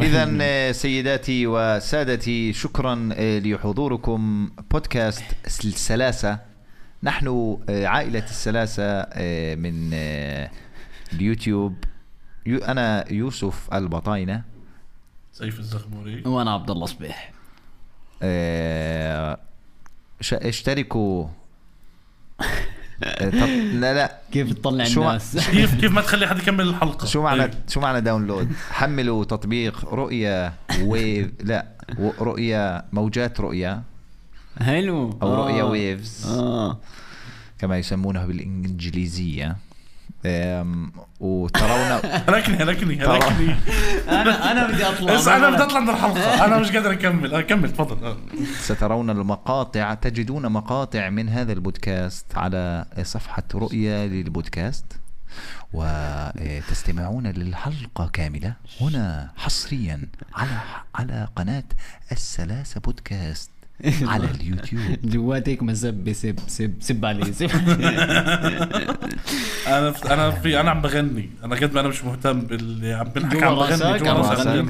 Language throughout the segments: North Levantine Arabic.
إذن سيداتي وسادتي، شكرا لحضوركم بودكاست السلاسة. نحن عائلة السلاسة من اليوتيوب. أنا يوسف البطاينة، سيف الزغموري، وأنا عبد الله صبيح. اشتركوا. طب لا كيف تطلع الناس؟ كيف ما تخلي حد يكمل الحلقة؟ شو معنى داونلود؟ حملوا تطبيق رؤيا ويف، لا رؤيا موجات رؤيا، حلو، أو رؤيا ويفز كما يسمونها بالإنجليزية. وترون ركني انا بدي اطلع، انا بدي اطلع من الحلقة، انا مش قادر اكمل تفضل. سترون المقاطع، تجدون مقاطع من هذا البودكاست على صفحة رؤيا للبودكاست، وتستمعون للحلقة كاملة هنا حصريا على قناة السلاسة بودكاست على اليوتيوب. جواتك مسب سب عليه. انا عم بغني، انا قد ما انا مش مهتم باللي عم بنحكي، عم بغني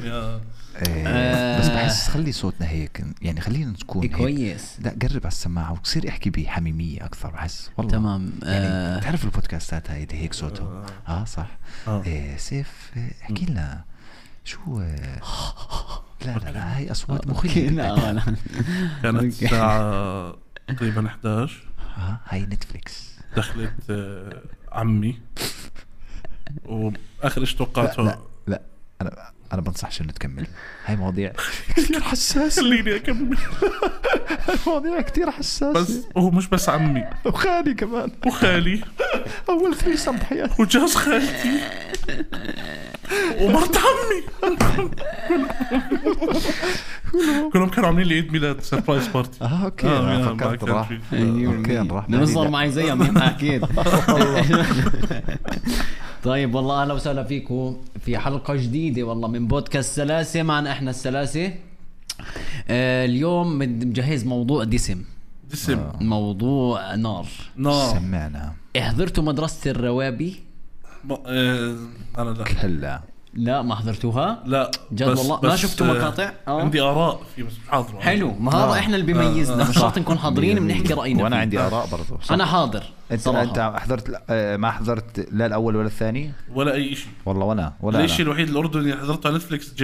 بس بحس خلي صوتنا هيك، يعني خلينا نكون كويس. لا قرب على السماعة وتصير احكي بحميمية اكثر، بحس والله تمام. يعني تعرف البودكاستات هاي هيك صوته صح. سيف احكي لنا شو لا هاي أصوات مخيفة. كانت الساعة تقريبا 11. هاي نتفليكس. دخلت عمي وآخر إيش توقعته. لا أنا بنصحش إنه تكمل، هاي مواضيع كتير حساسة. خليني أكمل. مواضيع كتير حساسة. بس هو مش بس عمي، وخالي كمان، وخالي أول 3 بحياتي، وجوز خالتي ومرت عمي. كلهم كانوا عاملين لي عيد ميلاد سربرايز بارتي. اوكي فكرت راح نروح نصور معي زيهم اكيد. طيب والله اهلا وسهلا فيكم في حلقة جديدة والله من بودكاست سلاسة. معنا احنا السلاسة. اليوم مجهز موضوع دسم. موضوع نار. سمعنا. حضرتوا مدرسة الروابي؟ انا لا ما حضرتوها؟ لا جد والله ما شفتوا مقاطع؟ عندي آراء في بس مش حاضر. حلو، ما هذا احنا اللي بيميزنا، مش شرط نكون حاضرين بنحكي رأينا. وانا عندي آراء برضو. انا حاضر. انت حضرت؟ ما حضرت لا الاول ولا الثاني ولا اي شيء والله. ولا الشيء الوحيد الاردني اللي حضرته على نتفليكس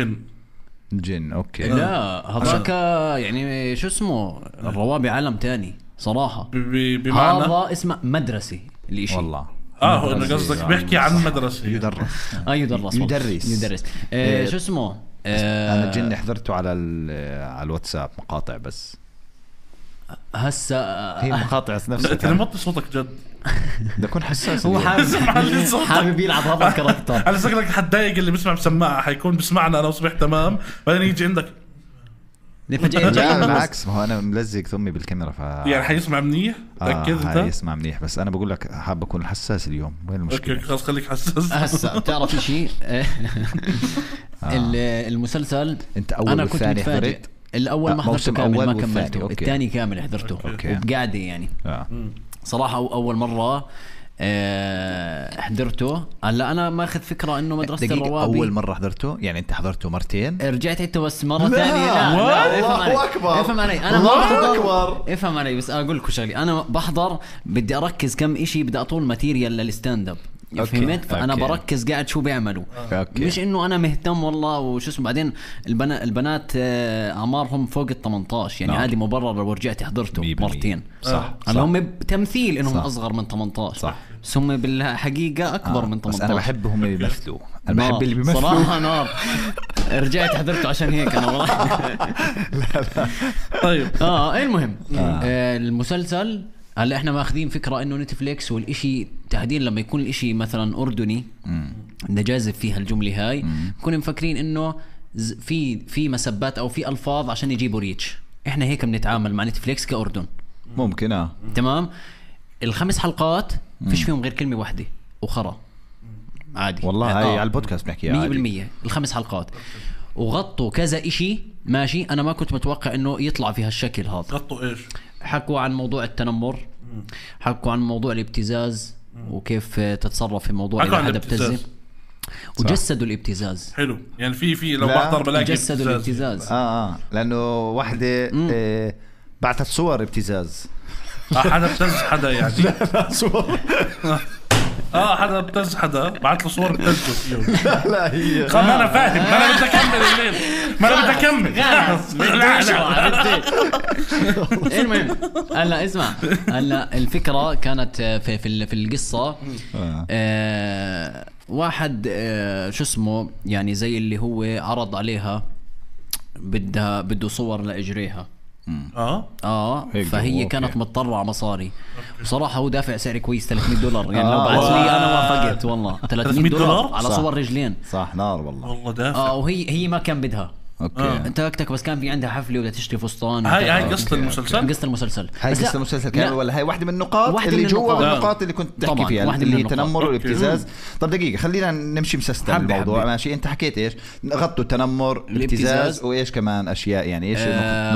جن. اوكي. لا هذاك يعني شو اسمه، الروابي عالم تاني صراحة. بمعنى هذا اسمه مدرسة الاشي والله. هو انه قصدك بيحكي عن مدرسة يدرس. يدرس. شو اسمه. انا جن حضرته على الواتساب مقاطع بس. هسه هي مقاطع نفسها. انت موطي صوتك جد. بدي اكون حساس. هو حابب يلعب هذا الكاركتر. على شكلك حتضايق اللي بيسمع بسماعة، حيكون بسمعنا انا وصبح تمام، بعدين يجي عندك بالعكس. ما هو انا ملزق ثمي بالكاميرا يعني حيسمع منيح. تأكد انت حيسمع منيح، بس انا بقول لك حاب اكون حساس اليوم. وين المشكلة؟ اوكي خلاص خليك حساس. هسه بتعرف شيء. المسلسل انت اول والثاني حضرت؟ الاول ما حضرته كامل، ما كملته. الثاني كامل حضرته وبقعدة يعني. صراحة اول مرة حضرته. هلا انا ماخذ فكره انه مدرسه الروابي اول مره حضرته، يعني انت حضرته مرتين؟ رجعت عدته بس مره ثانيه. لا افهم علي انا ما بحضر. افهم علي بس اقول لكم شغله، انا بحضر بدي اركز كم إشي، بدي اطول ماتيريال للستاند اب، فهمت؟ فانا بركز قاعد شو بيعملوا. مش انه انا مهتم والله وشو اسمه. بعدين البنات اعمارهم فوق ال18 يعني عادي مبرر لو رجعت حضرته مرتين. صح. هم بتمثيل انهم اصغر من 18 صح، بس هم بالحقيقه اكبر من 18. بس انا بحبهم اللي بيمثلوا. انا بحب اللي بيمثلوا صراحه نار. رجعت حضرته عشان هيك انا والله. لا. طيب المهم المسلسل هلا احنا ماخذين فكره انه نتفليكس والاشي تحديدا لما يكون الاشي مثلا اردني نجازف فيها الجمله هاي، بكون مفكرين انه في مسبات او في الفاظ عشان يجيبوا ريتش. احنا هيك بنتعامل مع نتفليكس كاردن. ممكن تمام. ال5 حلقات فيش فيهم غير كلمه واحده وخرا عادي والله. هاي على البودكاست بنحكيها 100%. ال5 حلقات وغطوا كذا إشي ماشي. أنا ما كنت متوقع إنه يطلع في هالشكل هذا. غطوا إيش؟ حكوا عن موضوع التنمر، حكوا عن موضوع الابتزاز وكيف تتصرف في موضوع إذا حدا ابتزه. وجسدوا الابتزاز. حلو يعني في لو بحضر بلاقي جسدوا الابتزاز. لانه واحدة بعثت صور ابتزاز. حدا ابتز حدا يعني. لا صور. حدا ابتز حدا بعت له صور ابتزه فيهم. لا هي ما انا فاهم، ما انا بدي اكمل الليل، ما انا بدي اكمل. المهم هلا اسمع، هلا الفكرة كانت في القصة واحد شو اسمه يعني زي اللي هو عرض عليها بده صور لإجريها. فهي كانت مضطرة على مصاري. بصراحة هو دافع سعر كويس $300 يعني لو بعث لي انا وافقت والله. $300 على صور رجلين. صح نار والله دافع. وهي ما كان بدها. انت بس كان في عندها حفله وبدها تشتري فستان. هاي قصة المسلسل. هاي قصة المسلسل كامل ولا هاي واحدة من النقاط اللي جوا النقاط اللي كنت تحكي فيها اللي هي التنمر والابتزاز. طب دقيقة خلينا نمشي مسستم الموضوع. ماشي انت حكيت ايش؟ غطوا التنمر الابتزاز وايش كمان اشياء يعني ايش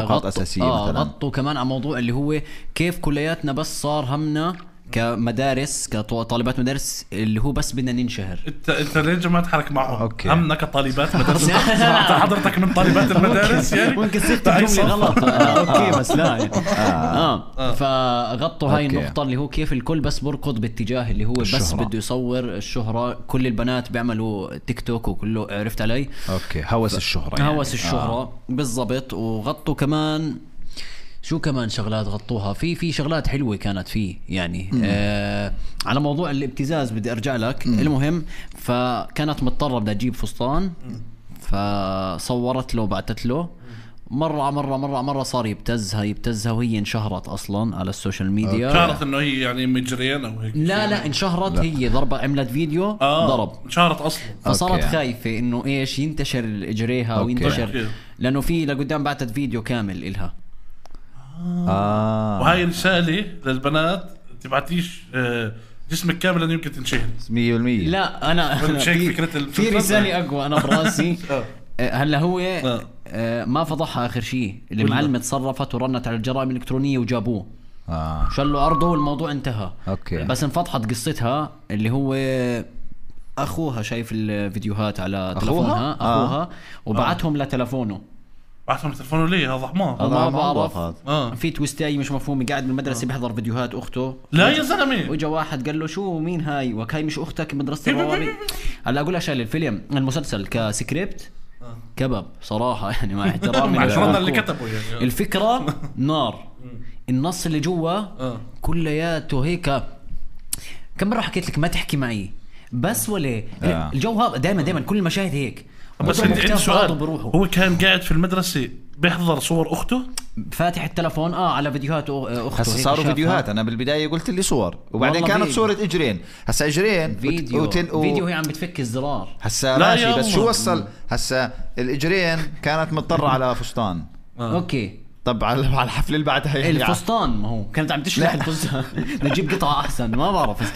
نقاط اساسية مثلا؟ غطوا كمان على موضوع اللي هو كيف كلياتنا بس صار همنا كمدارس كطالبات مدارس اللي هو بس بدنا ننشهر. انت ليه ما تحرك معهم؟ همنا كطالبات مدارس. حضرتك من طالبات المدارس يعني ممكن صيغة الجملة غلط. اوكي بس لا يعني. فغطوا هاي النقطة اللي هو كيف الكل بس بركض باتجاه اللي هو بس بده يصور الشهرة. كل البنات بيعملوا تيك توك وكله، عرفت علي؟ هوس الشهرة يعني. هوس الشهرة بالضبط. وغطوا كمان شو كمان شغلات غطوها في شغلات حلوة كانت فيه يعني. على موضوع الابتزاز بدي ارجع لك. المهم فكانت مضطرة بدها تجيب فستان، فصورت له وبعتت له. مرة صار يبتزها وهي انشهرت اصلا على السوشيال ميديا. شهرت انه هي يعني مجريان او هيك. لا انشهرت. هي ضربة عملت فيديو ضرب انشهرت اصلا. فصارت خايفة انه ايش ينتشر اجريها وينتشر لانه في لقدام بعتت فيديو كامل إلها. وهاي رسالة للبنات تبعتيش جسمك كامل لأنه يمكن تنشهر 100%. لا أنا في رسالة أقوى أنا براسي. هلا هو ما فضحها آخر شيء. المعلمة تصرفت ورنت على الجرائم الإلكترونية وجابوه. شلوا عرضه والموضوع انتهى. بس انفضحت قصتها اللي هو أخوها شايف الفيديوهات على تلفونها. أخوها وبعتهم لتلفونه. بعثهم تلفونه ليه؟ هذا حمار. ما بعرف. في تويستاي مش مفهوم. قاعد بالمدرسة بيحضر فيديوهات أخته. لا يا زلمة. وجا واحد قال له شو مين هاي وكاي مش أختك مدرسة الروابي. هلا أقول أشياء الفيلم المسلسل كسكريبت كبب صراحة يعني مع احترامي اللي كتبه يعني. الفكرة نار. النص اللي جوا كلياته هيك. كم مرة حكيت لك ما تحكي معي بس ولا الجو هذا دائما كل المشاهد هيك. بس عندي سؤال. هو كان قاعد في المدرسة بيحضر صور أخته فاتح التلفون على فيديوهات أخته. هسه صاروا فيديوهات. أنا بالبداية قلت لي صور وبعدين كانت صورة إجرين. هسه إجرين فيديو هي عم بتفك الزرار. هسه ماشي بس شو وصل. هسه الإجرين كانت مضطرة على فستان. أوكي طب على الحفل اللي بعدها يعني الفستان ما هو كانت عم تشرح الفستان. نجيب قطعة أحسن ما بعرف.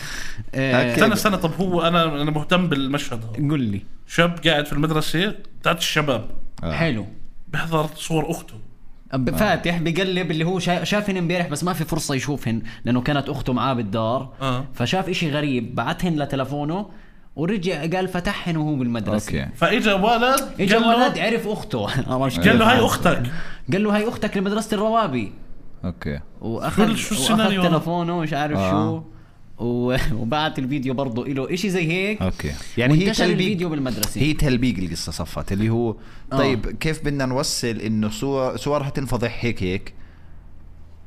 سنة طب هو أنا مهتم بالمشهد. قل لي. شاب قاعد في المدرسة بتاعت الشباب. حلو. بيحضر صور أخته. فاتح بيقلب اللي هو شافهن امبارح بس ما في فرصة يشوفهن لأنه كانت أخته معاه بالدار. فشاف إشي غريب بعتهن لتلفونه ورجع قال فتحهن وهو بالمدرسة. فإجا ولد عرف أخته. قال له هاي أختك. قال له هاي أختك لمدرسة الروابي. وأخذ تلفونه مش عارف شو وبعت الفيديو برضو إله إشي زي هيك. يعني هي تلبيق الفيديو بالمدرسة. هي تلبيق القصة صفت اللي هو طيب كيف بدنا نوصل إنه صورها تنفضح هيك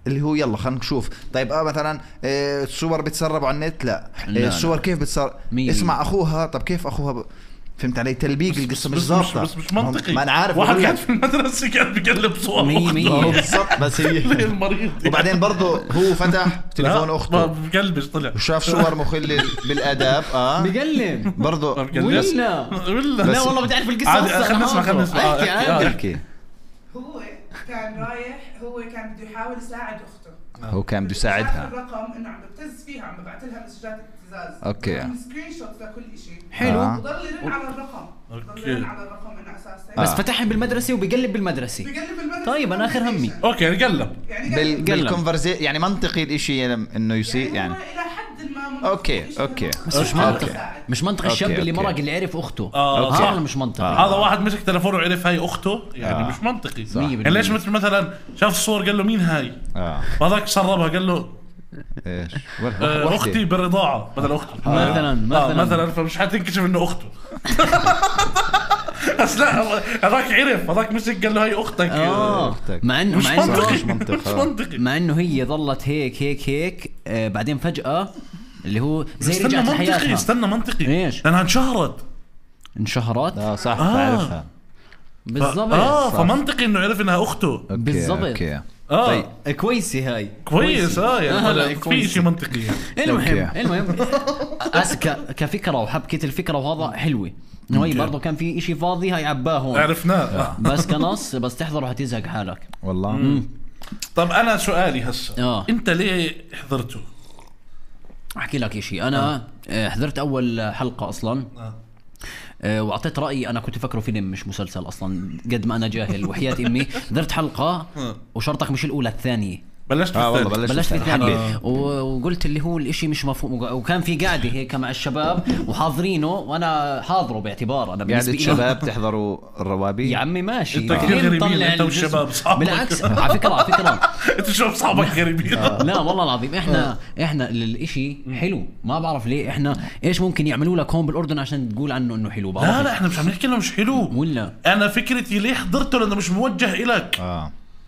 اللي هو يلا خلينا نشوف. طيب مثلا الصور بتسرب على النت. لا الصور كيف بتسرب. اسمع أخوها. طب كيف أخوها فهمت علي؟ تلبيق القصة مش ظابطة. بس مش منطقي. ما أنا عارف. واحد قاعد في المدرسة كان بيقلب صور بالضبط. بس هي المريض. وبعدين برضو هو فتح تليفون أخته بقلبش طلع وشاف صور مخلة بالآداب. بقلب برضو ولا لا والله بتعرف القصة. خلنا نسمع احكي. هو كان رايح. هو كان بده يحاول يساعد أخته. هو كان بده يساعدها. الرقم إنه عم ببتز فيها عم ببعث لها مسجات ابتزاز. عم سكرين شوت لكل شيء. حلو. وضل يرن على الرقم. ضل يرن على الرقم إنه أساسا. بس فتحهم بالمدرسة وبيقلب بالمدرسة. طيب أنا آخر همي. أوكي قلب. بالكونفرزي يعني منطقي الإشي إنه يصير يعني. إلى حد ما اوكي بس مش منطقي الشاب اللي مرق اللي عرف اخته هذا مش منطقي. هذا واحد مسك تلفونه وعرف هاي اخته يعني مش منطقي. يعني ليش مثلا شاف الصور قال له مين هاي هذاك سربها قال له ايش اختي بالرضاعه بدل اخته مثلا فمش حتنكشف انه اخته. بس لا هذاك عرف هذاك مسك قال له هاي اختك. مع انه مش منطقي مع انه هي ظلت هيك بعدين فجأة اللي هو زي رجعت لحياتها. استنى منطقي ايش لانها انشهرت صح تعرفها بالضبط فمنطقي انه عرف انها اخته بالضبط. طيب كويسه هاي كويس يعني في شيء منطقي. المهم كفكره وحبكه الفكره وهذا حلوه انه هي برضه كان في اشي فاضي هاي عباه هون عرفناه بس كنص بس تحضره حتزهق حالك والله. طب انا سؤالي هسه انت ليه حضرته؟ احكي لك اشي انا حضرت اول حلقه اصلا واعطيت رايي. انا كنت فكره فيلم مش مسلسل اصلا قد ما انا جاهل وحياة امي. حضرت حلقه وشرطك مش الاولى الثانيه بلشت في الثانية وقلت اللي هو الاشي مش مفهوم. وكان في قاعدة هيك مع الشباب وحاضرينه وانا حاضره باعتبار انا قاعدة الشباب تحضروا الروابي يا عمي ماشي انت كثير غريبين انت والشباب صحابك. بالعكس على فكرة انت شو اصحابك غريبين. لا والله العظيم احنا الاشي حلو ما بعرف ليه احنا ايش ممكن يعملوا لك هون بالاردن عشان تقول عنه انه حلو. لا احنا مش عم نحكي انه مش حلو ولا انا فكرتي ليه حضرته لانه مش موجه إلك.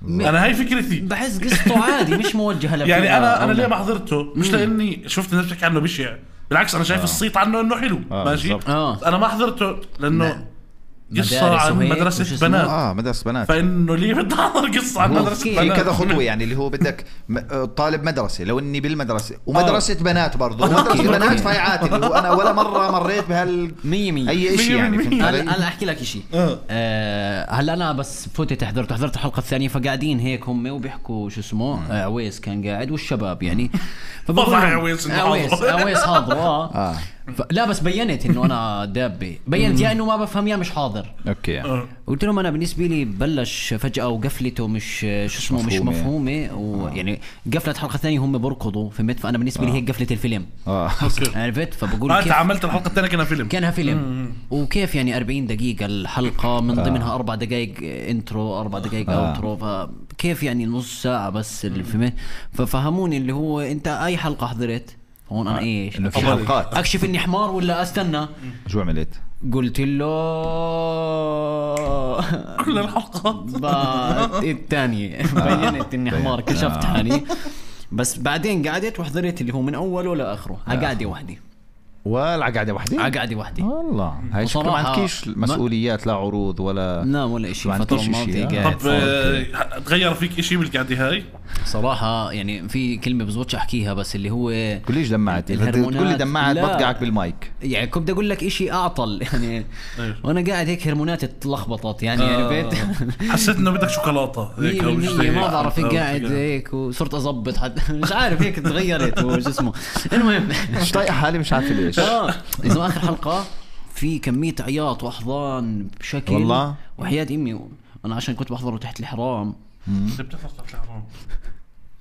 انا هاي فكرتي بحس قصته عادي مش موجهه لك. يعني انا ليه ما حضرته مش لاني شفت الناس بتحكي عنه بشع بالعكس انا شايف الصيت عنه انه حلو ماشي. انا ما حضرته لانه قصة عن مدرسة بنات مدرسة بنات فإنه ليه بدي أحضر قصة عن مدرسة بنات. كذا خطوة يعني اللي هو بدك طالب مدرسة لو إني بالمدرسة ومدرسة بنات برضو مدرسة بنات فايعات اللي هو أنا ولا مرة مريت مية أي إشي يعني. أنا أحكي لك إشي هلا أنا بس فوتت حضرت الحلقة الثانية فقاعدين هيك هم وبيحكوا شو اسمه عويس كان قاعد والشباب يعني عويس حاضر لا بس بينت انه انا دابه بينت يا انه ما بفهم يا مش حاضر. قلت لهم انا بالنسبه لي بلش فجاه وقفلته مش شو اسمه مش مفهومه ويعني قفلت حلقه ثانيه هم بركضوا فهمت. فانا بالنسبه لي هيك قفله الفيلم عرفت. فبقول انت عملت الحلقه الثانيه كانها فيلم وكيف يعني 40 دقيقه الحلقه من ضمنها 4 دقائق انترو 4 دقائق اوترو فكيف يعني نص ساعه بس اللي فهمت. ففهموني اللي هو انت اي حلقه حضرت هون انا ايش انه في حلقات اكشف اني حمار ولا استنى. شو عملت؟ قلت له كل الحلقات الثانية بينت اني حمار كشفت حالي. بس بعدين قعدت وحضرت اللي هو من اوله لاخره قعدة واحدة قعدة واحدة والله. هاي شكله ما عندكيش مسؤوليات لا عروض ولا إشي فترة ماضية قاعد. طب تغير فيك إشي بالقعدة هاي صراحة يعني في كلمة بزبطش أحكيها بس اللي هو كليش دمعت تقول لي دمعت بطقعك بالمايك يعني كنت أقول لك إشي أعطل يعني وأنا قاعد هيك هرمونات اتلخبطت يعني بيت حسيت إنه بدك شوكولاتة هيك ما بعرف قاعد هيك وصرت أضبط مش عارف هيك تغيرت وش اسمه. المهم مش طايق حالي مش عارف ليش. إذا آخر حلقة في كمية عياط وأحضان بشكل والله وحياة أمي أنا عشان كنت بحضره تحت الحرام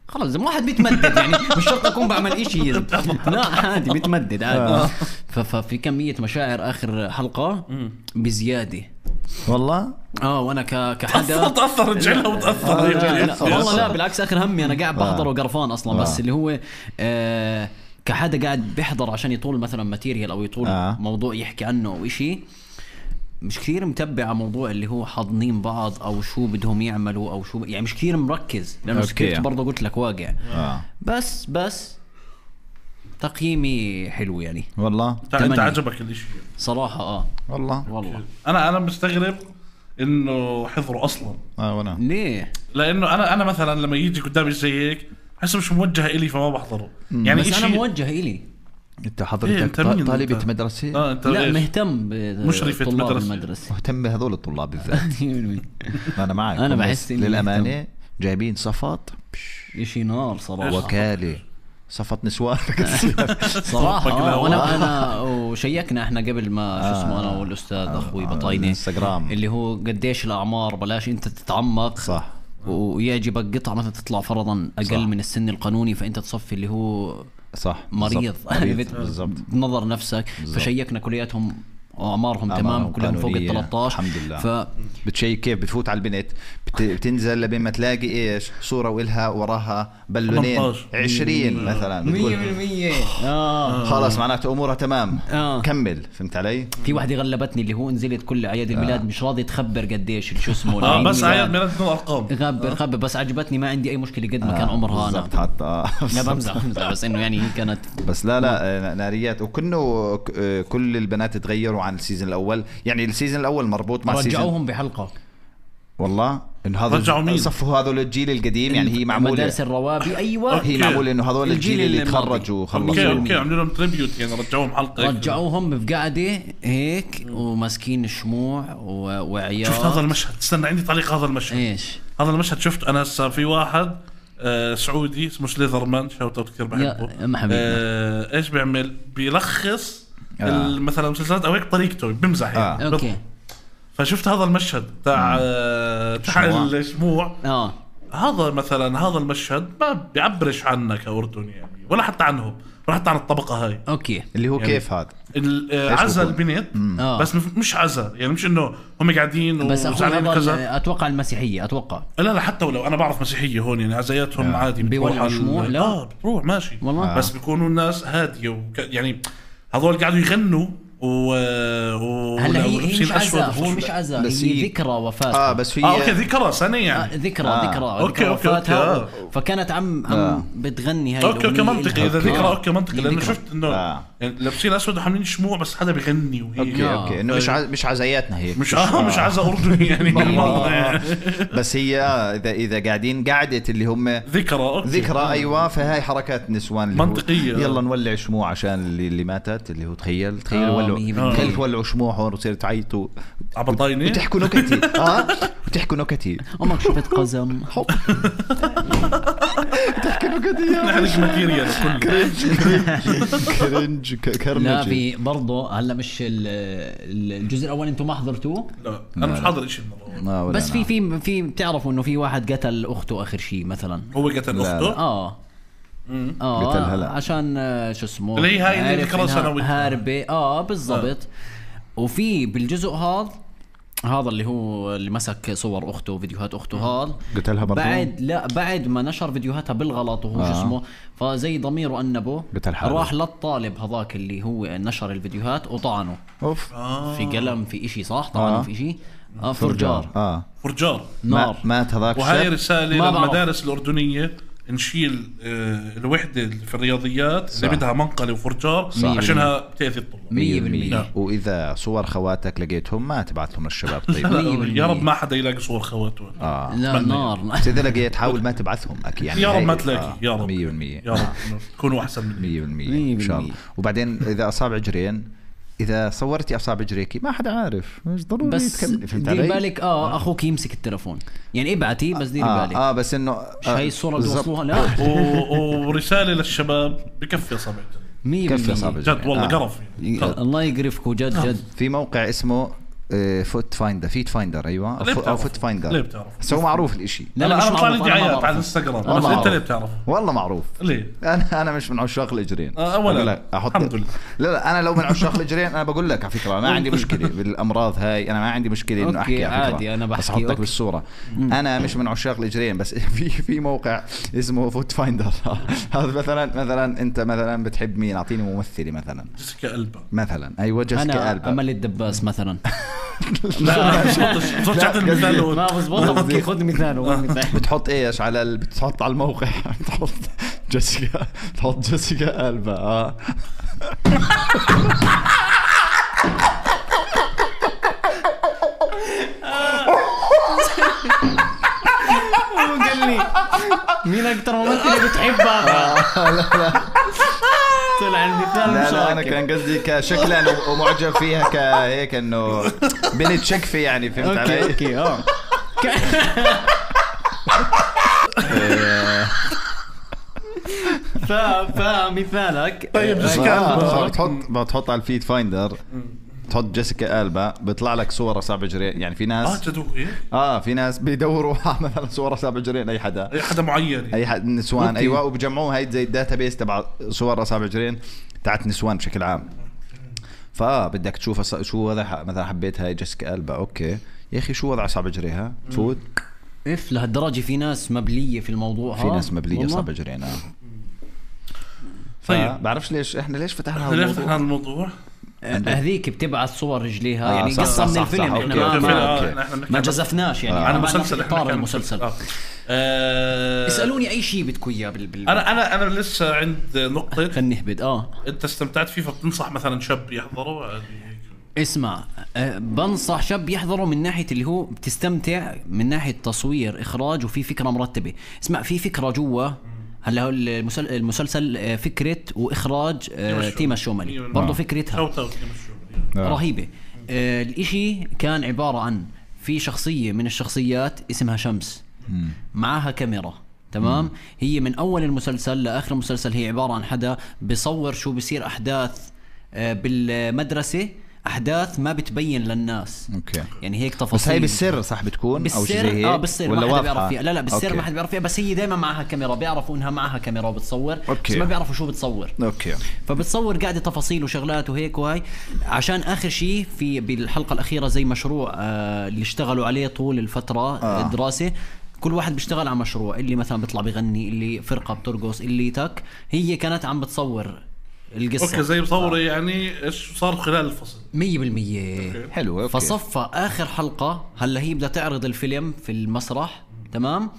خلاص زي واحد بيتمدد يعني مش شرط أكون بعمل إشي لا عادي بيتمدد عادي. ففي كمية مشاعر آخر حلقة بزيادة والله. وانا كحدا تاثر رجعلها وتاثر والله لا بالعكس اخر همي انا قاعد بحضر وقرفان اصلا بس اللي هو كحدا قاعد بيحضر عشان يطول مثلا ماتيريال او يطول موضوع يحكي عنه او اشي مش كثير متبع موضوع اللي هو حاضنين بعض او شو بدهم يعملوا او شو يعني مش كثير مركز لانه سكريبت برضه قلت لك واقع بس تقييمي حلو يعني والله. انت عجبك الاشي صراحة والله انا مستغرب انه حضروا اصلا. وانا ليه؟ لانه انا مثلا لما يجي قدامي زي هيك حس مش موجه إلي فما بحضره يعني بس انا موجه إلي. انت حضرتك طالبة مدرسة؟ لا مهتم مشرفة المدرسة مهتم بهذول الطلاب بالذات. انا معك انا بحس للأمانة جايبين صفات إشي نار صراحة وكالة صفت نسوان صراحة. وانا وشيكنا احنا قبل ما شو اسمه انا والاستاذ اخوي بطاينة انستغرام اللي هو قديش الاعمار بلاش انت تتعمق صح ويعجبك قطعة مثلا تطلع فرضا اقل صح. من السن القانوني فانت تصفي اللي هو صح مريض بالضبط بنظر نفسك. فشيكنا كلياتهم وأعمارهم تمام كلهم فوق ال 13 الحمد لله. بتشيك كيف بتفوت على البنت بتنزل لبين ما تلاقي ايش صورة وإلها وراها بالونين 20 مثلا 100% خلاص معناته امورها تمام كمل. فهمت علي؟ في واحدة غلبتني اللي هو نزلت كل اعياد الميلاد مش راضي تخبر قديش شو اسمه بس اعياد ميلاد بدون ارقام خبر بس عجبتني ما عندي اي مشكلة قد ما كان عمرها انا حتى لا بمزح بس انه يعني كانت بس لا ناريات. وكنه كل البنات تغيروا عن السيزون الاول. يعني السيزون الاول مربوط مع رجعوهم بحلقة والله انه هذا صفوا هذول الجيل القديم. يعني هي معموله مدارس الروابي ايوه هي معموله انه هذول الجيل اللي تخرجوا وخلصوا. اوكي عملوا لهم تريبيوت يعني رجعوهم حلقه رجعوهم بقعده هيك وماسكين الشموع وعيال. شفت هذا المشهد؟ استنى عندي تعليق. هذا المشهد ايش هذا المشهد شفت انا هسه في واحد سعودي اسمه سليذرمان شاوت اوت كثير بحبه ايش بيعمل بيلخص مثلا مسلسلات او هيك طريقته بمزح يعني اوكي. فشفت هذا المشهد تاع الشموع هذا مثلا هذا المشهد ما بيعبرش عنك كأردني يعني ولا حتى عنهم ولا حتى عن الطبقة هاي. اوكي اللي هو يعني كيف هذا عزا البنت بس مش عزا يعني مش انه هم قاعدين بس كذا. اتوقع المسيحية اتوقع لا حتى ولو انا بعرف مسيحية هون يعني عزاياتهم عادي بيولعوا شموع لا بتروح ماشي والله. بس بيكونوا الناس هادية يعني هذول قاعدوا يغنوا هلا هي مش عزا هو مش عزا هي ذكرى وفاة بس في اوكي ذكرى سنه يعني ذكرى أوكي. وفاتها فكانت عم منطقي هاي اوكي منطقي اذا ذكرى اوكي منطقي لانه شفت انه يعني لابسين اسود وحاملين شموع بس حدا بيغني وهيك اوكي انه مش عزاياتنا هيك مش مش عزا اردني يعني بس هي اذا قاعدين قعدة اللي هم ذكرى ايوه فهاي حركات نسوان منطقيه يلا نولع شموع عشان اللي ماتت اللي هو تخيل تولعوا شموع هون وتصيروا تعيطوا عبطايني وتحكوا نكتي وتحكوا نكتي امك شفت قزم تحكي نكتي نحن ماتيريال كرنج كرنج. لا في برضه هلا مش الجزء الاول انتم ما حضرتوه؟ لا انا مش حاضر شيء بس في بتعرفوا انه في واحد قتل اخته اخر شيء مثلا هو قتل اخته قتلها عشان شو اسمه اللي هاي ذكرى سنوية هاربة بالضبط. وفي بالجزء هذا اللي هو اللي مسك صور اخته وفيديوهات اخته هذا قتلها برضه بعد ما نشر فيديوهاتها بالغلط وهو شو اسمه فزي ضميره انبه راح للطالب هذاك اللي هو نشر الفيديوهات وطعنه في قلم في اشي صح طعنه في اشي فرجار نار مات هذاك. وهاي رسالة للمدارس الأردنية نشيل الوحدة في الرياضيات اللي بدها منقلة وفرجار عشانها بتأذي الطلاب 100%. وإذا صور خواتك لقيتهم ما تبعتهم للشباب طيب يا رب ما حدا يلاقي صور خواته لا نار إذا لقيت حاول ما تبعثهم أكيد يعني يا رب ما تلاقي يا رب 100% يا رب تكونوا أحسن من 100% إن شاء الله. وبعدين إذا أصابع جرين إذا صورتي أصابع جريكي ما حدا عارف مش ضروري بس دير بالك أخوك يمسك التلفون يعني ابعتي بس دير بالك بس إنه هاي الصورة اللي وصلوها لا ورسالة للشباب بكفي أصابع كفي أصابع جد والله قرف الله يقرفكم جد في موقع اسمه فوت فايندر فيت فايندر ايوه او فوت فايندر ليه بتعرف سو معروف الاشي. لا انا بطلع لي دعايات على الانستغرام بس انت ليه بتعرف والله معروف ليه انا مش من عشاق الاجرين اولا الحمد لله لا انا لو من عشاق الاجرين انا بقول لك على فكره ما عندي مشكله بالامراض هاي انا ما عندي مشكله انه احكي عادي انا بحكي احطك بالصوره انا مش من عشاق الاجرين بس في موقع اسمه فوت فايندر هذا مثلا انت مثلا بتحب مين اعطيني ممثله مثلا جيسيكا ألبا مثلا ايوه جيسيكا ألبا امل الدباس مثلا لا بتحط المثال ما بزبط خذ مثال بتحط ايش على بتحط على الموقع بتحط جيسيكا تحط جيسيكا ألبا قال لي مين اكتر ممثله بتحبها لا طلع المثال مش لا انا كان قصدي كشكلا ومعجب فيها كهيك انه بنت شكفي يعني فهمت علي اوكي فمثالك طيب بتحط على الفيد فايندر بتحط جيسيكا ألبا بيطلع لك صور 7 جرين. يعني في ناس في ناس بيدوروا مثلا صور 7 جرين اي حدا معين، اي حد نسوان. ايوه، وبجمعوها هاي زي الداتابيس تبع صور 7 جرين تاعت نسوان بشكل عام. فبدك تشوف شو وضع مثلا حبيت هاي جيسيكا ألبا، اوكي يا اخي شو وضع 7 جريها تفوت لهالدرجه. في ناس مبليه في الموضوع، في ناس مبليه 7 جرين. طيب بعرفش ليش فتحنا الموضوع. هذيك بتبعث صور رجليها يعني قصة من الفيلم. احنا ما جزفناش يعني عن المسلسل. احنا المسلسل اسألوني اي شيء بدكم اياه انا لسه عند نقطة خلينا نهبد. انت استمتعت فيه فبتنصح مثلا شاب يحضره؟ اسمع، بنصح شاب يحضره من ناحية اللي هو بتستمتع من ناحية تصوير إخراج وفي فكرة مرتبة. اسمع، في فكرة جوا. هلا هو المسلسل فكرة وإخراج تيما الشوملي برضو فكرتها رهيبة. الاشي كان عبارة عن في شخصية من الشخصيات اسمها شمس، معها كاميرا، تمام. هي من أول المسلسل لآخر المسلسل هي عبارة عن حدا بيصور شو بيصير أحداث بالمدرسة، أحداث ما بتبين للناس. أوكي. يعني هيك تفاصيل. بس هي بالسر صح بتكون بالسر أو شيء زي هيك؟ بالسر ما حدا بيعرف فيها. لا بالسر أوكي. ما حدا بيعرف فيها، بس هي دايما معها كاميرا، بيعرفوا إنها معها كاميرا وبتصور. أوكي. بس ما بيعرفوا شو بتصور. أوكي. فبتصور قاعدة تفاصيل وشغلات وهيك وهاي، عشان آخر شيء في بالحلقة الأخيرة زي مشروع اللي اشتغلوا عليه طول الفترة الدراسة. كل واحد بيشتغل على مشروع، اللي مثلا بيطلع بيغني، اللي فرقة بترقص، اللي تك. هي كانت عم بتصور القصة. اوكي زي مصور يعني ايش صار خلال الفصل 100%. حلو. أوكي. فصفى اخر حلقة، هلا هي بدها تعرض الفيلم في المسرح، تمام.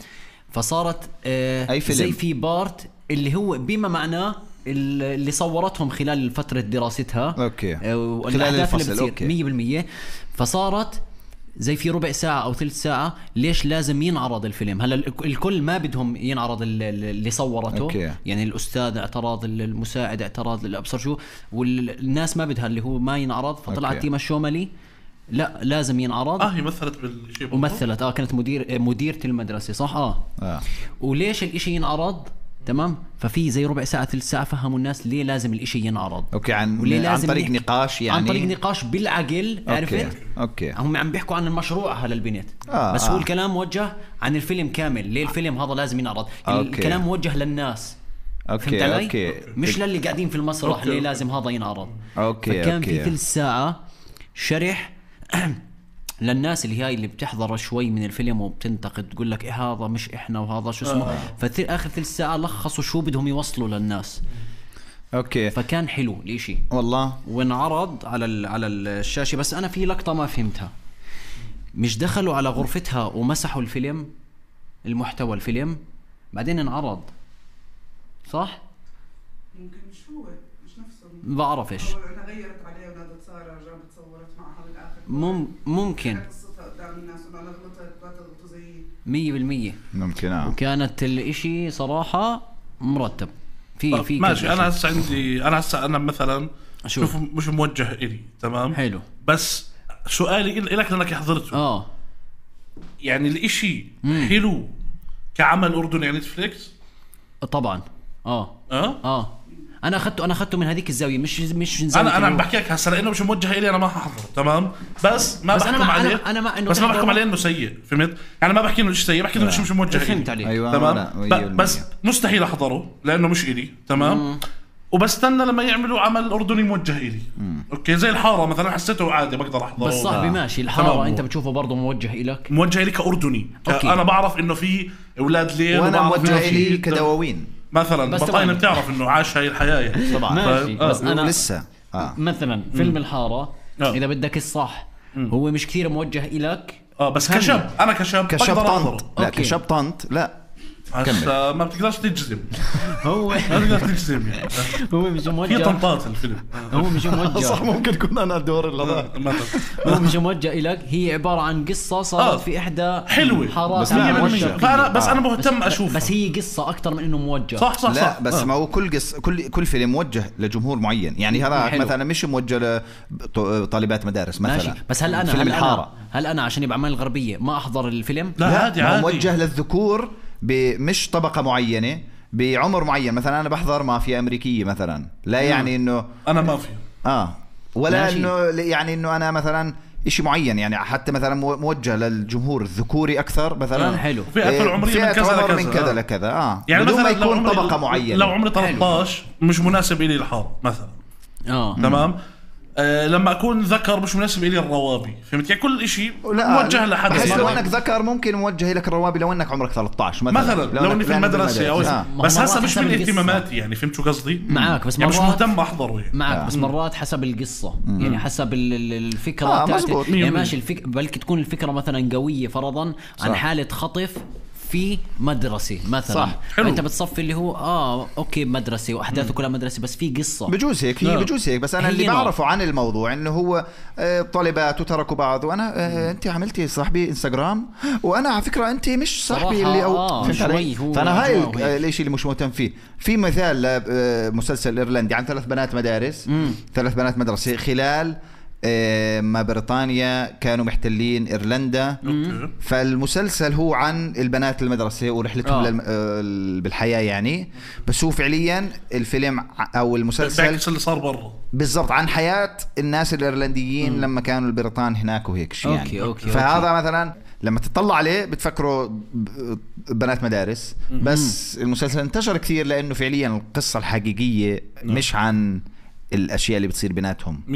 فصارت أي فيلم؟ زي في بارت اللي هو بما معناه اللي صورتهم خلال فترة دراستها. اوكي. خلال الفصل. اوكي 100%. فصارت زي في ربع ساعة أو ثلث ساعة. ليش لازم ينعرض الفيلم؟ هلا الكل ما بدهم ينعرض اللي صورته. أوكي. يعني الأستاذ اعتراض، المساعد اعتراض، الأبصر شو، والناس ما بدها اللي هو ما ينعرض. فطلعت تيما الشوملي لا لازم ينعرض. هي مثلت بالشيء ومثلت كانت مديرة المدرسة صح. وليش الاشي ينعرض، تمام. ففي زي ربع ساعة ثلث ساعة فهموا الناس ليه لازم الاشي ينعرض. اوكي. عن طريق نقاش يعني. عن طريق نقاش بالعقل. عرفت؟ اوكي. هم عم بيحكوا عن المشروع هلا البنت. بس هو الكلام موجه عن الفيلم كامل. ليه الفيلم هذا لازم ينعرض. الكلام موجه للناس. اوكي. اوكي. مش للي قاعدين في المسرح. ليه لازم هذا ينعرض. اوكي. فكان في ثلث ساعة شرح للناس اللي هاي اللي بتحضر شوي من الفيلم وبتنتقد، تقول لك إيه هذا مش إحنا وهذا شو اسمه. آخر ثلث ساعة لخصوا شو بدهم يوصلوا للناس. اوكي. فكان حلو الاشي والله، وانعرض على الشاشة. بس أنا في لقطة ما فهمتها. مش دخلوا على غرفتها ومسحوا الفيلم، المحتوى الفيلم، بعدين انعرض صح؟ ممكن مش هو مش نفسه. ما بعرفش. أنا غيرت عليه ونادت سارة جابت صورت معها بالآخر. ممكن. قصتها قدام الناس وأنا غلطت زي 100%. ممكن. وكانت الاشي صراحة مرتب. في ماشي. أنا هسه عندي أنا مثلا شوف مش موجه إلي، تمام. حلو. بس سؤالي إلك لأنك حضرته. يعني الاشي حلو كعمل أردني يعني نتفليكس طبعا. انا اخذته من هذيك الزاويه. مش زي انا عم بحكي لك هسه لانه مش موجه الي. انا ما ححضره، تمام. بس ما بحكم عليه. انا ما انه بس ما بحكم عليه انه سيء، فهمت؟ يعني ما بحكي انه مش سيء، بحكي انه مش موجه الي. فهمت عليك. أيوة. تمام. بس مستحيل احضره لانه مش الي، تمام. وبستنى لما يعملوا عمل أردني موجه إلي. أوكي زي الحارة مثلا حسيته عادي بقدر أحضره. بس صاحبي ماشي الحارة أنت بتشوفه برضه موجه إلك. موجه إلي كأردني. أنا بعرف إنه في أولاد ليل. وأنا موجه إلي كدواوين مثلا. بطاينة بتعرف إنه عاش هاي الحياة يعني. طبعا. ماشي. بس أنا لسه مثلا فيلم الحارة إذا بدك الصح هو مش كثير موجه إلك. بس كشاب أنا كشاب طنط. لا كشاب طنط لا ما بتقدرش تجزم. هو ما بتقدر تجزم يعني. هو مش موجه. في طنطات الفيلم. هو مش موجه. صح ممكن يكون أنا الدور اللي هو مش موجه إلك. هي عبارة عن قصة صارت في إحدى حلوة حارات. بس أنا مهتم أشوفها. بس هي قصة أكتر من إنه موجه. صح. لا بس ما هو كل قصة كل فيلم موجه لجمهور معين. يعني هذا مثلا مش موجه لطالبات مدارس مثلا. ماشي. بس هل أنا عشان يبقى عمال الغربية ما أحضر الفيلم؟ لا عادي. موجه للذكور مش طبقة معينة بعمر معين. مثلا أنا بحضر مافيا أمريكية مثلا. لا يعني إنه أنا مافيا. ولا انه يعني انه انا مثلا إشي معين يعني حتى مثلا موجه للجمهور الذكوري اكثر مثلا حلو فئة العمرية من كذا لكذا يعني بدون ما مثلا يكون طبقة معينة. لو عمري 13 مش مناسب إلي الحار مثلا تمام لما اكون ذكر مش مناسب الي الروابي فهمت يعني كل شيء موجه لحد بس لو انك ذكر ممكن موجه لك الروابي لو انك عمرك 13 مثلا لو اني في المدرسه او بس هسه مش من اهتماماتي يعني فهمت شو قصدي معك بس يعني مش مهتم احضره يعني. معك بس مرات حسب القصه يعني حسب الفكره يعني ماشي بلكي تكون الفكره مثلا قويه فرضا عن حاله خطف في مدرسة مثلا صح. انت بتصفي اللي هو اوكي مدرسة واحداثه كلها مدرسة بس في قصة بجوز هيك هي بجوز هيك بس انا اللي بعرفه عن الموضوع انه هو طالبات وتركوا بعض وانا انت عملتي صاحبي انستغرام وانا على فكرة انت مش صاحبي اللي فانا هاي الاشي اللي مش مهتم فيه. في مثال لمسلسل ايرلندي عن 3 بنات مدارس 3 بنات مدرسة خلال ما بريطانيا كانوا محتلين إيرلندا فالمسلسل هو عن البنات المدرسة ورحلتهم بالحياة يعني بس هو فعليا الفيلم أو المسلسل اللي صار برا بالضبط عن حياة الناس الإيرلنديين لما كانوا البريطان هناك وهيك شيء يعني أوكي. فهذا مثلا لما تطلع عليه بتفكروا بنات مدارس بس المسلسل انتشر كثير لأنه فعليا القصة الحقيقية مش عن الاشياء اللي بتصير بيناتهم 100%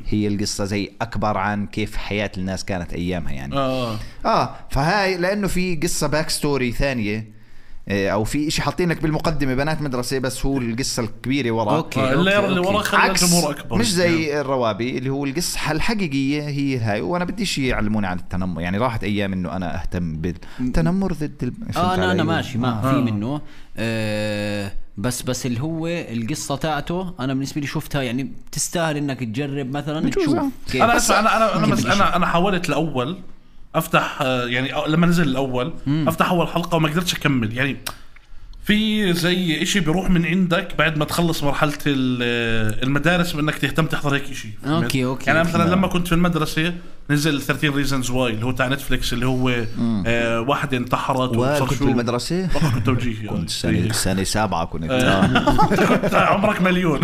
هي القصه زي اكبر عن كيف حياه الناس كانت ايامها يعني فهاي لانه في قصه باك ستوري ثانيه او في شيء حاطين لك بالمقدمه بنات مدرسه بس هو القصه الكبيره ورا اللي ورا خلى الجمهور اكبر مش زي يعني. الروابي اللي هو القصه الحقيقيه هي هاي وانا بدي شيء يعلموني عن التنمر يعني راحت ايام انه انا اهتم بالتنمر ضد انا ماشي ما في منه بس اللي هو القصة تاعته أنا بالنسبة لي شفتها يعني تستاهل إنك تجرب مثلا تشوف كيف. أنا حاولت الأول أفتح يعني لما نزل الأول أفتح أول حلقة وما قدرتش أكمل يعني في زي إشي بيروح من عندك بعد ما تخلص مرحلة المدارس بأنك تهتم تحضر هيك إشي أوكي يعني مثلا لما كنت في المدرسة نزل 13 Reasons Why اللي هو تاع نتفليكس اللي هو واحدة انتحرت وكنت في المدرسة كنت توجيهي كنت سنة 7 كنت كنت عمرك مليون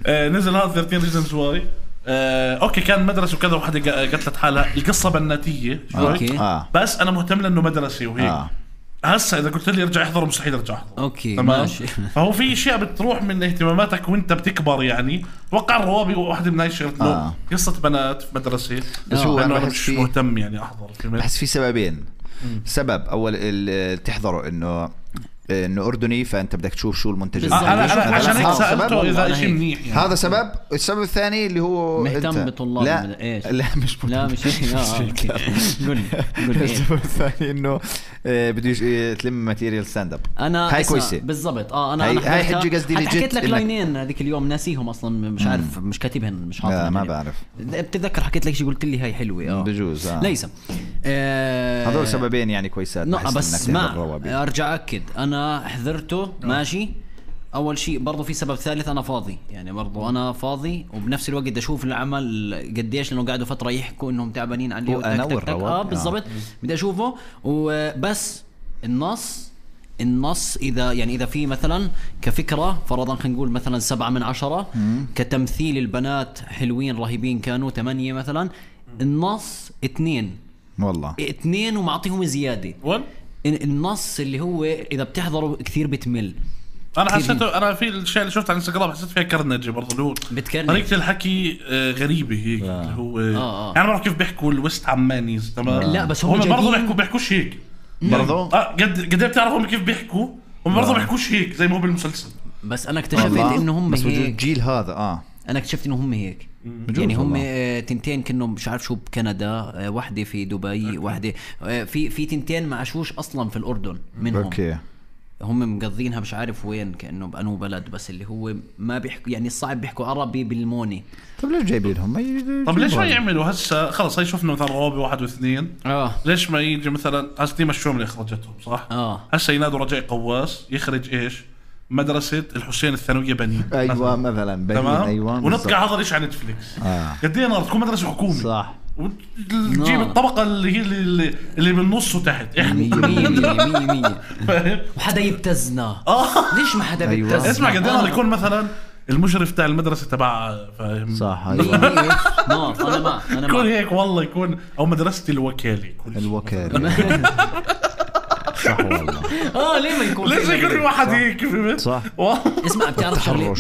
نزل هذا 13 Reasons Why اوكي كان مدرسة وكذا وحدة قتلت حالها القصة بناتية بس أنا مهتم لأنه مدرسة وهيك هسه اذا قلت لي ارجع احضر مستحيل ارجع احضر اوكي ماشي فهو في اشياء بتروح من اهتماماتك وانت بتكبر يعني توقع الروابي واحده من هاي الشغلات قصه بنات في مدرسه بس هو انا مش مهتم يعني احضر بحس في سببين سبب اول تحضره انه أردني فأنت بدك تشوف شو المنتج أنا عشان هيك سألته إذا إشي منيح يعني. هذا سبب. السبب الثاني اللي هو مهتم بطلاب لا مش هيك قول السبب الثاني إنه بدي تلم ماتيريال ستاند اب أنا هاي كويسة بالضبط هاي حجي قصدي حكيت لك لاينين هذيك اليوم ناسيهم أصلا مش عارف مش كاتبهن مش حاطهم ما بعرف بتتذكر حكيت لك شيء قلت لي هاي حلوة بجوز ليس هذول سببين يعني كويسات بس ما أرجع أكد أنا حضرته ماشي. اول شيء برضو في سبب ثالث انا فاضي يعني برضو انا فاضي وبنفس الوقت بدي اشوف العمل قديش لانه قاعدوا فتره يحكوا انهم تعبانين عليه بالضبط بدي اشوفه وبس النص اذا في مثلا كفكره فرضا خلينا نقول مثلا 7 من 10 كتمثيل البنات حلوين رهيبين كانوا 8 مثلا النص 2 والله 2 ومعطيهم زياده النص اللي هو اذا بتحضره كثير بتمل. انا حسيته انا في الاشياء اللي شفتها على انستغرام حسيت فيها كرنجه برضه اللي هو طريقه الحكي غريبه هيك اللي هو يعني ما بعرف كيف بيحكوا الويست عمانيز تمام لا بس هم برضه بيحكوش هيك برضه قد بتعرفوا كيف بيحكوا هم برضه بيحكوش هيك زي ما هو بالمسلسل. بس انا اكتشفت انه هم بس هيك الجيل هذا انا اكتشفت انه هم هيك يعني هم تنتين كأنه مش عارف شو بكندا واحدة في دبي واحدة في تنتين ما عاشوش أصلا في الأردن منهم أوكي. هم مقضينها مش عارف وين كأنه بأنو بلد بس اللي هو ما بيحكوا يعني الصعب بيحكوا عربي بالموني. طب ليش جايبينهم طب ليش ما يعملوا هسه خلص هاي شفنا مثلا روابي 1 و2 ليش ما يجي مثلا هسه مشوهم اللي اخرجتهم صح هسه ينادوا رجاء قواس يخرج ايش مدرسة الحسين الثانوية بنين أيوة مثلا بنين أيوة ونطقع هذا الإشي على نتفليكس قد إيه تكون مدرسة حكومي صح وتجيب الطبقة اللي هي اللي بالنص وتحت إحنا وحدا يبتزنا ليش ما حدا بيبتزنا اسمع قد إيه يكون مثلا المشرف تاع المدرسه تبع فاهم صح انا يكون هيك والله يكون او مدرستي الوكاله يكون الوكاله صح والله ليه ما يكون ليش يكون في واحد هيك فهمت صح اسمع بتعرف شغله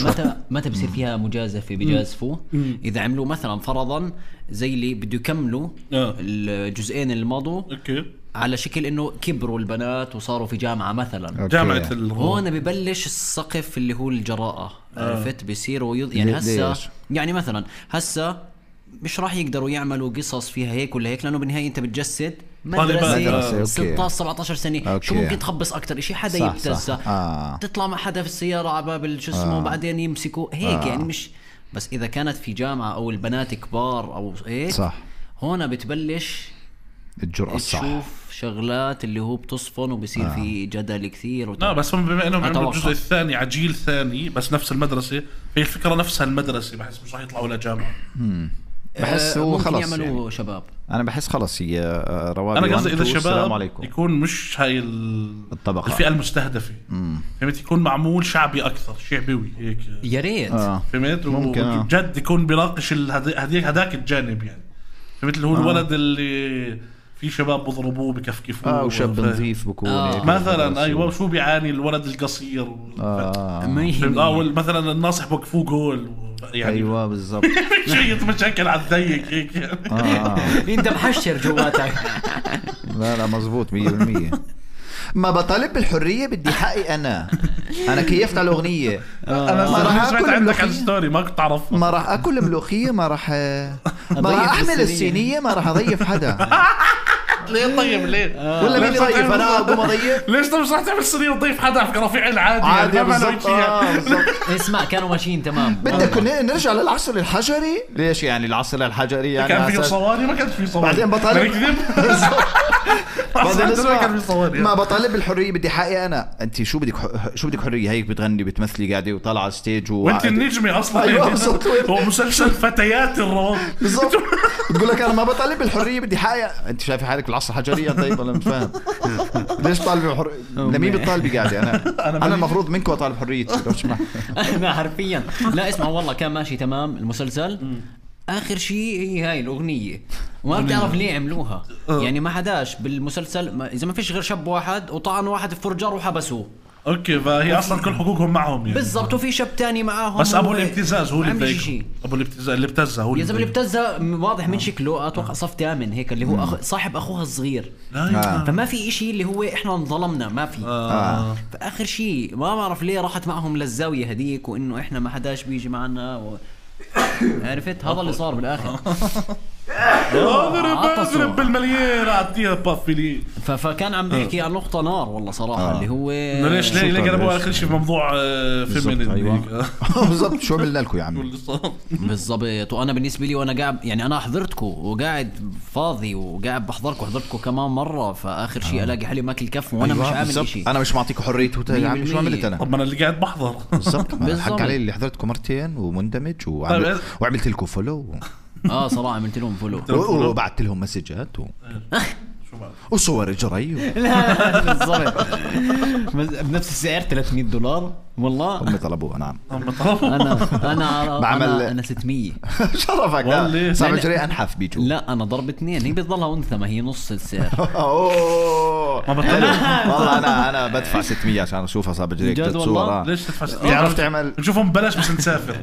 متى بصير فيها مجازفه بجازفوا اذا عملوا مثلا فرضا زي اللي بده يكملوا الجزئين اللي مضوا اوكي على شكل انه كبروا البنات وصاروا في جامعه مثلا جامعه هون ببلش السقف اللي هو الجراءه عرفت بيصيروا يعني هسه يعني مثلا هسه مش راح يقدروا يعملوا قصص فيها هيك ولا هيك لانه بالنهايه انت بتجسد مدرسة 16 17 سنه شو ممكن تخبص اكتر شيء حدا يبتزها تطلع مع حدا في السياره على باب شو اسمه وبعدين يمسكوا هيك يعني مش بس اذا كانت في جامعه او البنات كبار او هيك صح هون بتبلش الجرأة الصح تشوف شغلات اللي هو بتصفن وبصير في جدل كثير لا بس هم بما انهم عملوا الجزء الثاني عجيل ثاني بس نفس المدرسه هي الفكره نفسها المدرسه بحس مش راح يطلعوا لجامعه بحس هو خلص يعملوا يعني شباب انا بحس خلص هي روابي انا قصدي اذا شباب يكون مش هاي الطبقه الفئه المستهدفه فهمت يكون معمول شعبي اكثر شعبي هيك يا ريت فهمت وجد يكون بيناقش هذاك الجانب يعني فهمت اللي هو الولد اللي في شباب بضربوه بكفكفوه وشاب نظيف بكون مثلا ايوه وشو بيعاني الولد القصير مثلا الناصح بوقفوه جول يعني ايوه بالضبط شيء مشاكل على الضيق هيك انت محشر جواتك لا مزبوط 100% ما بطالب بالحريه بدي حقي انا كيفت على الاغنيه انا ما راح اكل عندك على الستوري ما كنت اعرف ما راح اكل ملوخيه ما راح احمل الصينيه ما راح اضيف حدا ليه طيب ليه ولا مين يضيف انا اقوم اضيف ليش مش راح تعمل صينيه وتضيف حدا في رفيع العادي بالضبط اسمع كانوا ماشيين تمام بدك نرجع للعصر الحجري ليش يعني العصر الحجري يعني كان فيه صواري ما كانش فيه صواري بعدين بطالب ما بطالب بالحريه بدي حقي انا انت شو بدك حريه هيك بتغني بتمثلي قاعده وطالعه على الستيج وانت النجمه اصلا هو مسلسل فتيات الروض بالضبط بتقول لك انا ما بطالب بالحريه بدي حقي انت شايف حالك بالعصر الحجري طيب ولا مش فاهم ليش طالب بالحريه لمين بتطالبي قاعده انا المفروض منكم اطالب حريتي انا حرفيا لا اسمع والله كان ماشي تمام المسلسل اخر شيء هي هاي الاغنيه وما بتعرف ليه عملوها يعني ما حداش بالمسلسل اذا ما فيش غير شاب واحد وطعن واحد في فرجار وحبسوه اوكي فهي اصلا كل حقوقهم معهم يعني بالضبط وفي شاب تاني معاهم بس ابو الابتزاز هو اللي ابو الابتزاز اللي ابتزها هو يا زلمه اللي ابتزها واضح من شكله اتوقع صف ثامن هيك اللي هو صاحب اخوها الصغير فما في إشي اللي هو احنا انظلمنا ما في فاخر شيء ما بعرف ليه راحت معهم للزاويه هديك وانه احنا ما حداش بيجي معنا عرفت هذا اللي صار بالاخر اضرب بالمليار اعطيها بافلي فكان عم بيحكي عن نقطه نار والله صراحه اللي هو ليش ليه قلبوا اخر شيء في موضوع فيمينين ايوه بالضبط شو عملنا لكم يا عمي بالضبط وانا بالنسبه لي وانا قاعد يعني انا حضرتكم وقاعد فاضي وقاعد بحضركم وحضرتكم كمان مره فاخر شيء الاقي حالي ماكل كف وانا مش عامل شيء انا مش معطيكم حريته يا عمي شو عملت انا طب انا اللي قاعد بحضر بالضبط حق علي اللي حضرتكم مرتين ومندمج وعملت لكم فولو صراحه عملت لهم فولو وبعثت لهم مسجات وصور جري لا بالضبط بنفس السعر $300 والله هم طلبوا نعم انا بعمل انا 600 شرفك لا صعب جري انحف بيجوا لا انا ضرب 2 هي بتضلها انثى ما هي نص السعر ما بطلع والله انا بدفع 600 عشان اشوفها صعب جري صورة ليش تدفع 600 تعرف تعمل نشوفهم ببلاش بس نسافر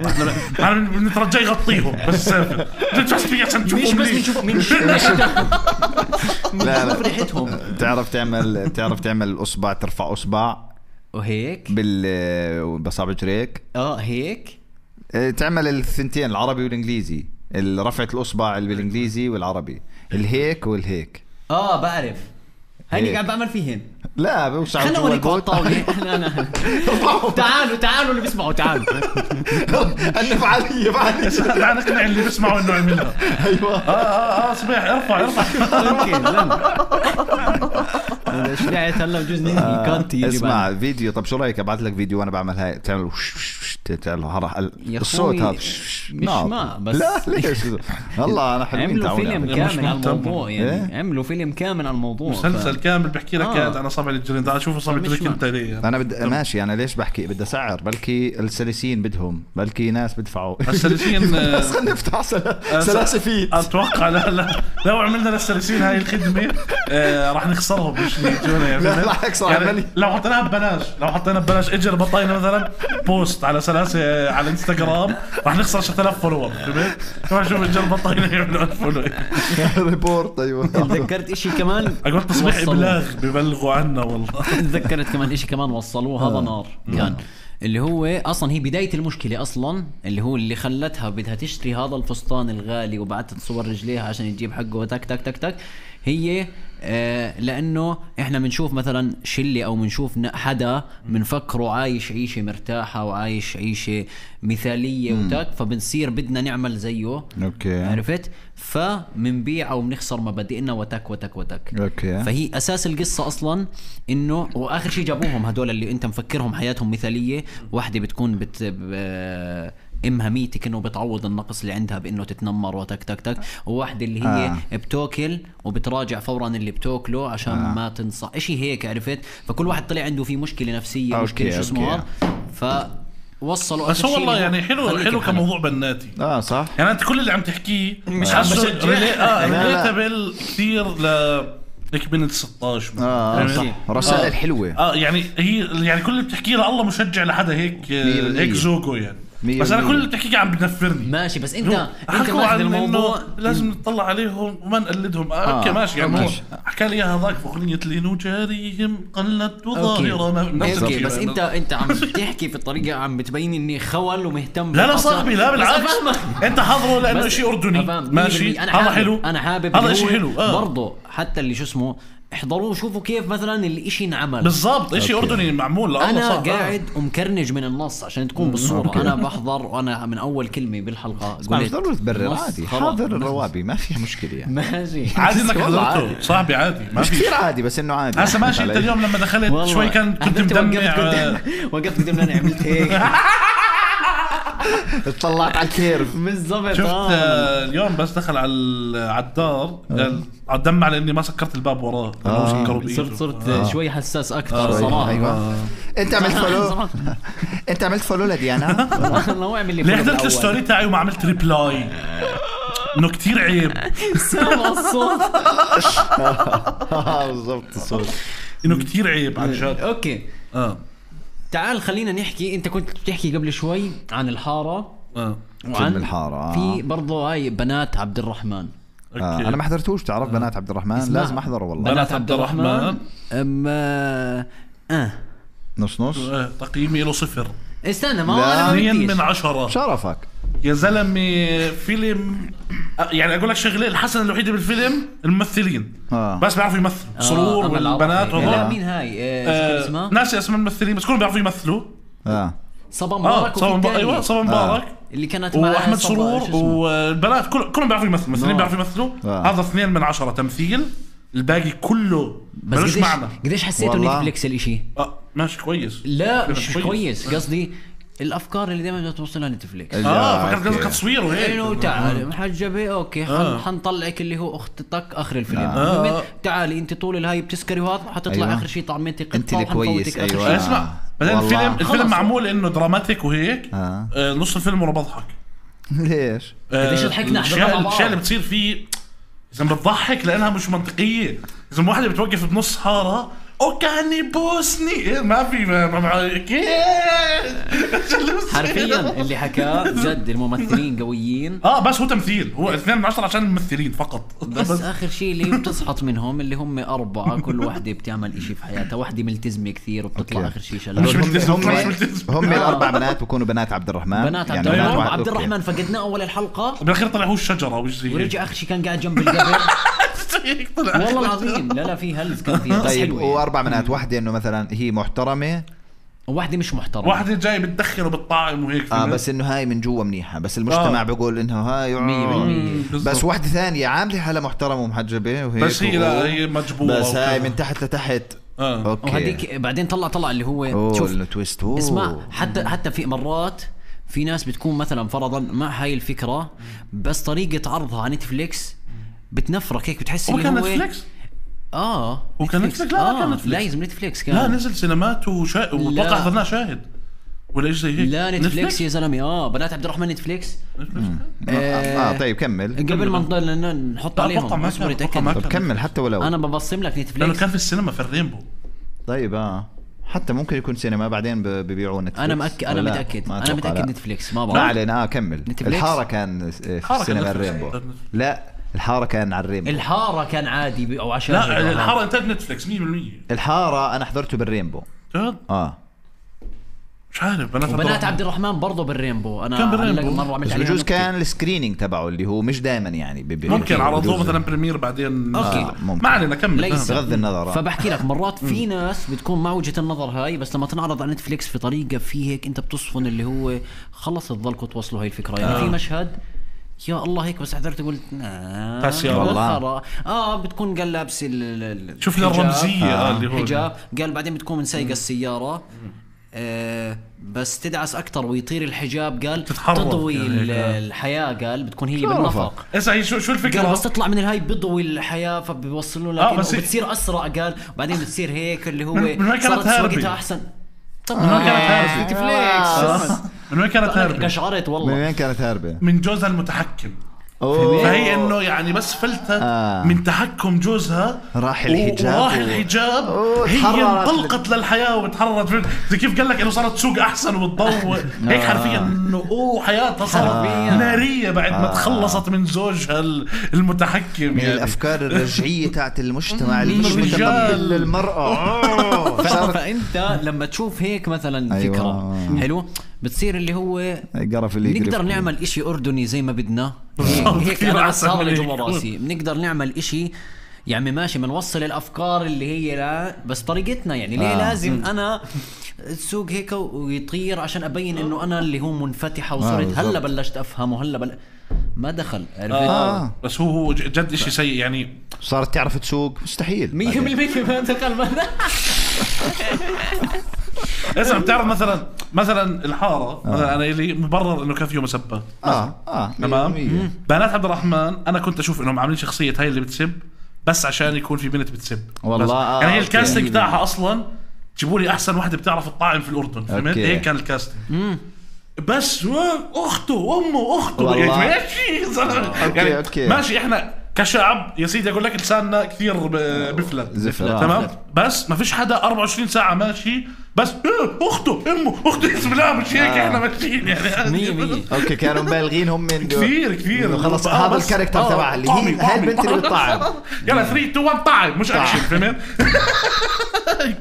احنا بنترجى يغطيهم بس نسافر تدفع 600 عشان نشوفهم مش بس نشوف ريحتهم تعرف تعمل اصبع ترفع اصبع وهيك بصابع جريك هيك تعمل الثنتين العربي والانجليزي رفعة الاصبع بالانجليزي والعربي الهيك والهيك بعرف هيني قاعد بعمل فيهن لا بوسع خلنا اوريكم على الطاوله تعالوا اللي بيسمعوا تعالوا انا فعاليه لا نقنع اللي بيسمعوا انه عملها ايوه صبيح ارفع شجعت هلا بجوز ننهي كانتي. اسمع فيديو، طب شو رايك ابعث لك فيديو وانا بعمل هاي تعمل الصوت هذا مش ما بس لا ليش والله انا حلوين. عملوا فيلم كامل على الموضوع يعني عملوا فيلم كامل على الموضوع مسلسل كامل بحكي لك انا صابع الجرين ده اشوف صابع الجرين انت ليه انا ماشي. انا ليش بحكي بدي اسعر؟ بلكي السلاسين بدهم، بلكي ناس بدفعوا السلاسين بس خلينا نفتح سلاسفيت. اتوقع لا لو عملنا للسلاسين هاي الخدمه راح نخسرهم مش يجونا يعني. لا راح يخسر يعني لو حطيناها ببلاش، لو حطينا ببلاش اجر بطاينه مثلا بوست على سلاسه على انستغرام راح نخسر 6000 فولور. فهمت؟ ما شوف اجر بطاينه يعملوا فولو ريبورت. ايوه تذكرت اشي كمان اقول تصبيح ابلاغ ببلغوا عنا والله. تذكرت كمان اشي كمان وصلوه هذا نار كان اللي هو اصلا هي بدايه المشكله اصلا اللي هو اللي خلتها بدها تشتري هذا الفستان الغالي وبعتت صور رجليها عشان تجيب حقه وتك تك تك تك. هي لانه احنا بنشوف مثلا شله او بنشوف حدا بنفكره عايش عيشه مرتاحه وعايش عيشه مثاليه وتك، فبنصير بدنا نعمل زيه. اوكي عرفت؟ فمنبيع او بنخسر مبادئنا وتك وتك وتك. اوكي. فهي اساس القصه اصلا انه واخر شيء جابوهم هدول اللي انت مفكرهم حياتهم مثاليه، واحده بتكون امها ميتك انه بتعوض النقص اللي عندها بانه تتنمر وتك تك تك، وواحده اللي هي بتاكل وبتراجع فورا اللي بتاكله عشان ما تنصح اشي هيك. عرفت؟ فكل واحد طلع عنده فيه مشكله نفسيه مشكله شو اسمه وصلوا. بس هو والله يعني حلو كموضوع بناتي. صح. يعني انت كل اللي عم تحكيه مش عم بشجع ريليتابل كثير لك بنت 16 صح. رسائل حلوه. يعني هي يعني كل اللي بتحكيه الله مشجع لحدا هيك زوجه يعني. بس انا كل اللي بتحكيه عم بنفرني. ماشي بس انت ماخذ الموضوع لازم نطلع عليهم وما نقلدهم. اوكي ماشي يعني حكى لي هذاك بأغنية لينو جاريهم قلت وظاهرة. اوكي بس انت عم تحكي في الطريقه عم بتبين اني خول ومهتم. لا صاحبي لا بالعكس انت حاضره لانه شيء اردني ماشي. هذا حلو، انا حابب هذا شيء حلو برضه حتى اللي شو اسمه احضروه شوفوا كيف مثلا الاشي انعمل بالضبط. اشي اردني معمول. انا قاعد ومكرنج من النص عشان تكون بالصوره. انا بحضر وانا من اول كلمه بالحلقه قلت ضروري تبرر عادي. حاضر الروابي ما فيها مشكله يعني. ماشي عادي انك حضرته صاحبي عادي ما في كثير عادي بس انه عادي. هسه ماشي. انت اليوم لما دخلت شوي كنت مدمع وقفت قدام انا عملت هيك اطلعت على الكيرف بالضبط. شفت اليوم بس دخل على الدار دمع لاني ما سكرت الباب وراه. صرت شوي حساس اكثر صراحه. ايوه انت عملت فولو انت عملت فولو لديانا الله يعمل لي ليه حضرت الستوري تاعي وما عملت ريبلاي انه كتير عيب. سامع الصوت بالضبط الصوت انه كتير عيب عن جد. اوكي تعال خلينا نحكي. انت كنت بتحكي قبل شوي عن الحاره وعن الحاره في برضه هاي بنات عبد الرحمن. انا ما حضرتوش. تعرف بنات عبد الرحمن لازم احضره والله. بنات عبد الرحمن نص تقييمي له 0. استنى ما 2 من 10. شرفك يا زلمه. فيلم يعني اقول لك شغله الحسنه الوحيده بالفيلم الممثلين بس بيعرفوا يمثلوا. سرور والبنات لا مين هاي شو اسمها ناسي اسم الممثلين بس كلهم بيعرفوا يمثلوا. صبا مبارك ايوه صبا مبارك اللي كانت مع احمد سرور والبنات كلهم بيعرفوا يمثلوا. الممثلين بيعرفوا يمثلوا. هذا 2 من 10 تمثيل. الباقي كله ملوش معنى. قديش حسيته نتفليكس الاشي ماشي كويس. لا مش كويس قصدي الافكار اللي دائما توصلها نتفليكس. فكرت قصدك تصوير وهيك انه تعالي محجبه اوكي حنطلعك اللي هو اختك اخر الفيلم. تعالي انت طول الهاي بتسكري وهذا حتطلع اخر شيء طعمتك انت كويس. ايوه اسمع بعدين الفيلم معمول انه دراماتيك وهيك. نص الفيلم وانا بضحك. ليش؟ قديش ضحكنا الاشياء اللي بتصير فيه اذا بتضحك لانها مش منطقيه. اذا واحده بتوقف بنص حاره وكان يبوسني ما في حرفيا اللي حكاه جد الممثلين قويين. بس هو تمثيل. هو 2 من 10 عشان الممثلين فقط. بس اخر شيء اللي بتسحط منهم اللي هم 4 كل واحدة بتعمل اشي في حياتها. واحدة ملتزمة كثير وبتطلع اخر شيء شلال. هم الاربع بنات بكونوا بنات عبد الرحمن. بنات عبد الرحمن. عبد الرحمن فقدناه اول الحلقة بالاخير طلع هو الشجرة ورجع اخر شيء كان قاعد جنب القبر. والله العظيم لا في هلز كان فيها. طيب و4 بنات. واحدة انه مثلا هي محترمة وواحدة مش محترمة، واحدة جاي بتدخن وبتطعم وهيك. بس انه هاي من جوا منيحة، بس المجتمع بيقول انه هاي 100%. بس واحدة ثانية عاملة حالة محترمة ومحجبة وهيك، بس هي لا هي مجبورة، بس هاي من تحت لتحت. اوكي. وهديك بعدين طلع اللي هو شوف التويست. اسمع، حتى في مرات في ناس بتكون مثلا فرضا مع هاي الفكرة، بس طريقة عرضها على نتفليكس بتنفرك هيك، بتحس اللي هو نتفليكس. وكان نتفليكس. لا كان نتفليكس، لازم نتفليكس كان. لا نزل سينمات وطلع حضرناه شاهد ولا ايش زي هيك. لا نتفليكس يا زلمه. بنات عبد الرحمن نتفليكس. طيب كمل قبل ما نضل نحط عليهم اصبر يتاكد. طب كمل حتى ولو انا ببصم لك نتفليكس لانه كان في السينما في الرينبو. طيب حتى ممكن يكون سينما بعدين ببيعوا نتفليكس. انا متاكد نتفليكس ما بعرف. ما علينا. كمل. نتفليكس. الحاره كان في سينما الرينبو. لا الحاره كان على الرينبو. الحاره كان عادي او عشان لا الحاره انتاج نتفليكس 100%. الحاره انا حضرته بالرينبو. جد؟ مش عارف. بنات عبد الرحمن برضه بالرينبو. انا كان بالرينبو مره عملت عليه. بجوز كان السكرينينج تبعه اللي هو مش دائما يعني ممكن عرضوه مثلا بريمير بعدين. اوكي ما علينا كمل. بغض النظر. فبحكي لك مرات في ناس بتكون مع وجهة النظر هاي، بس لما تنعرض على نتفليكس في طريقه في هيك انت بتصفن اللي هو خلص تضلكم توصلوا هاي الفكره. يعني في مشهد يا الله هيك بس حضرت قلت والله بتكون قال لابس شوف الرمزيه اللي هو حجاب، قال بعدين بتكون من سايقه السياره بس تدعس اكتر ويطير الحجاب، قال تضوي الحياه، قال بتكون هي بالنفق. اسا شو الفكره؟ قال بس تطلع من الهاي بضوي الحياه فبيوصلوا لك وبتصير اسرع، قال وبعدين بتصير هيك اللي هو صارت سواقتها احسن. طب من وين كانت هاربة؟ نتفليكس. من وين كانت هاربة؟ قشعرت والله. من وين كانت هاربة؟ من جوزها المتحكم. فهي انه يعني بس فلتت من تحكم جوزها راح الحجاب هي انطلقت للحياه وتحررت. زي كيف قال لك انه صارت تسوق احسن وتضوء هيك حرفيا انه حياتها صارت ناريه بعد ما تخلصت من زوجها المتحكم. من يعني الافكار الرجعيه تاعت المجتمع المتقبل للمراه. فانت لما تشوف هيك مثلا فكره حلو بتصير اللي هو نقدر نعمل اشي اردني زي ما بدنا هيك. انا صار لي جوا راسي بنقدر نعمل اشي يعني ماشي بنوصل الافكار اللي هي لا بس طريقتنا. يعني ليه لازم انا تسوق هيك ويطير عشان ابين انه انا اللي هو منفتحه وصرت هلا بلشت افهم وهلا ما دخل بس هو جد اشي سيء. يعني صارت تعرف تسوق مستحيل 100% ما دخل. اسمع بتعرف مثلا الحاره مثلا انا اللي مبرر انه كان فيه مسبات. تمام. بنات عبد الرحمن انا كنت اشوف انهم عاملين شخصيه هاي اللي بتسب بس عشان يكون في بنت بتسب والله. يعني هي الكاستنج بتاعها اصلا جيبوا لي احسن واحده بتعرف الطاعم في الاردن. فهمت؟ هيك كان الكاستنج. بس اخته وامه اخته يعني أوكي. ماشي احنا كشعب يا سيدي اقول لك لساننا كثير بفلت تمام. بس ما فيش حدا 24 ساعه ماشي بس اخته امه اخته اسم لا مش هيك. احنا ماشيين يعني اوكي كانوا مبالغين هم من كثير خلص هذا الكاركتر تبعها اللي هي البنت اللي بتطعم. يلا 3 2 1 طعم مش اكشن. فهمت؟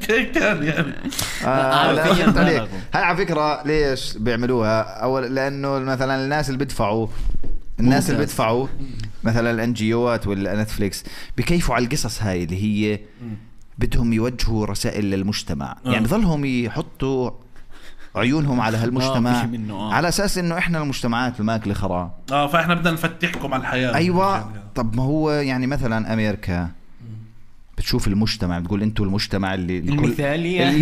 كان يعني هاي على فكره ليش بيعملوها؟ اول لانه مثلا الناس اللي بيدفعوا مثلا الان جي اوات ولا نتفليكس بكيفوا على القصص هاي اللي هي بدهم يوجهوا رسائل للمجتمع. يعني بظلهم يحطوا عيونهم على هالمجتمع على اساس انه احنا المجتمعات الماكله خرا فاحنا بدنا نفتحكم على الحياه. ايوه. طب ما هو يعني مثلا امريكا بتشوف المجتمع بتقول انتوا المجتمع اللي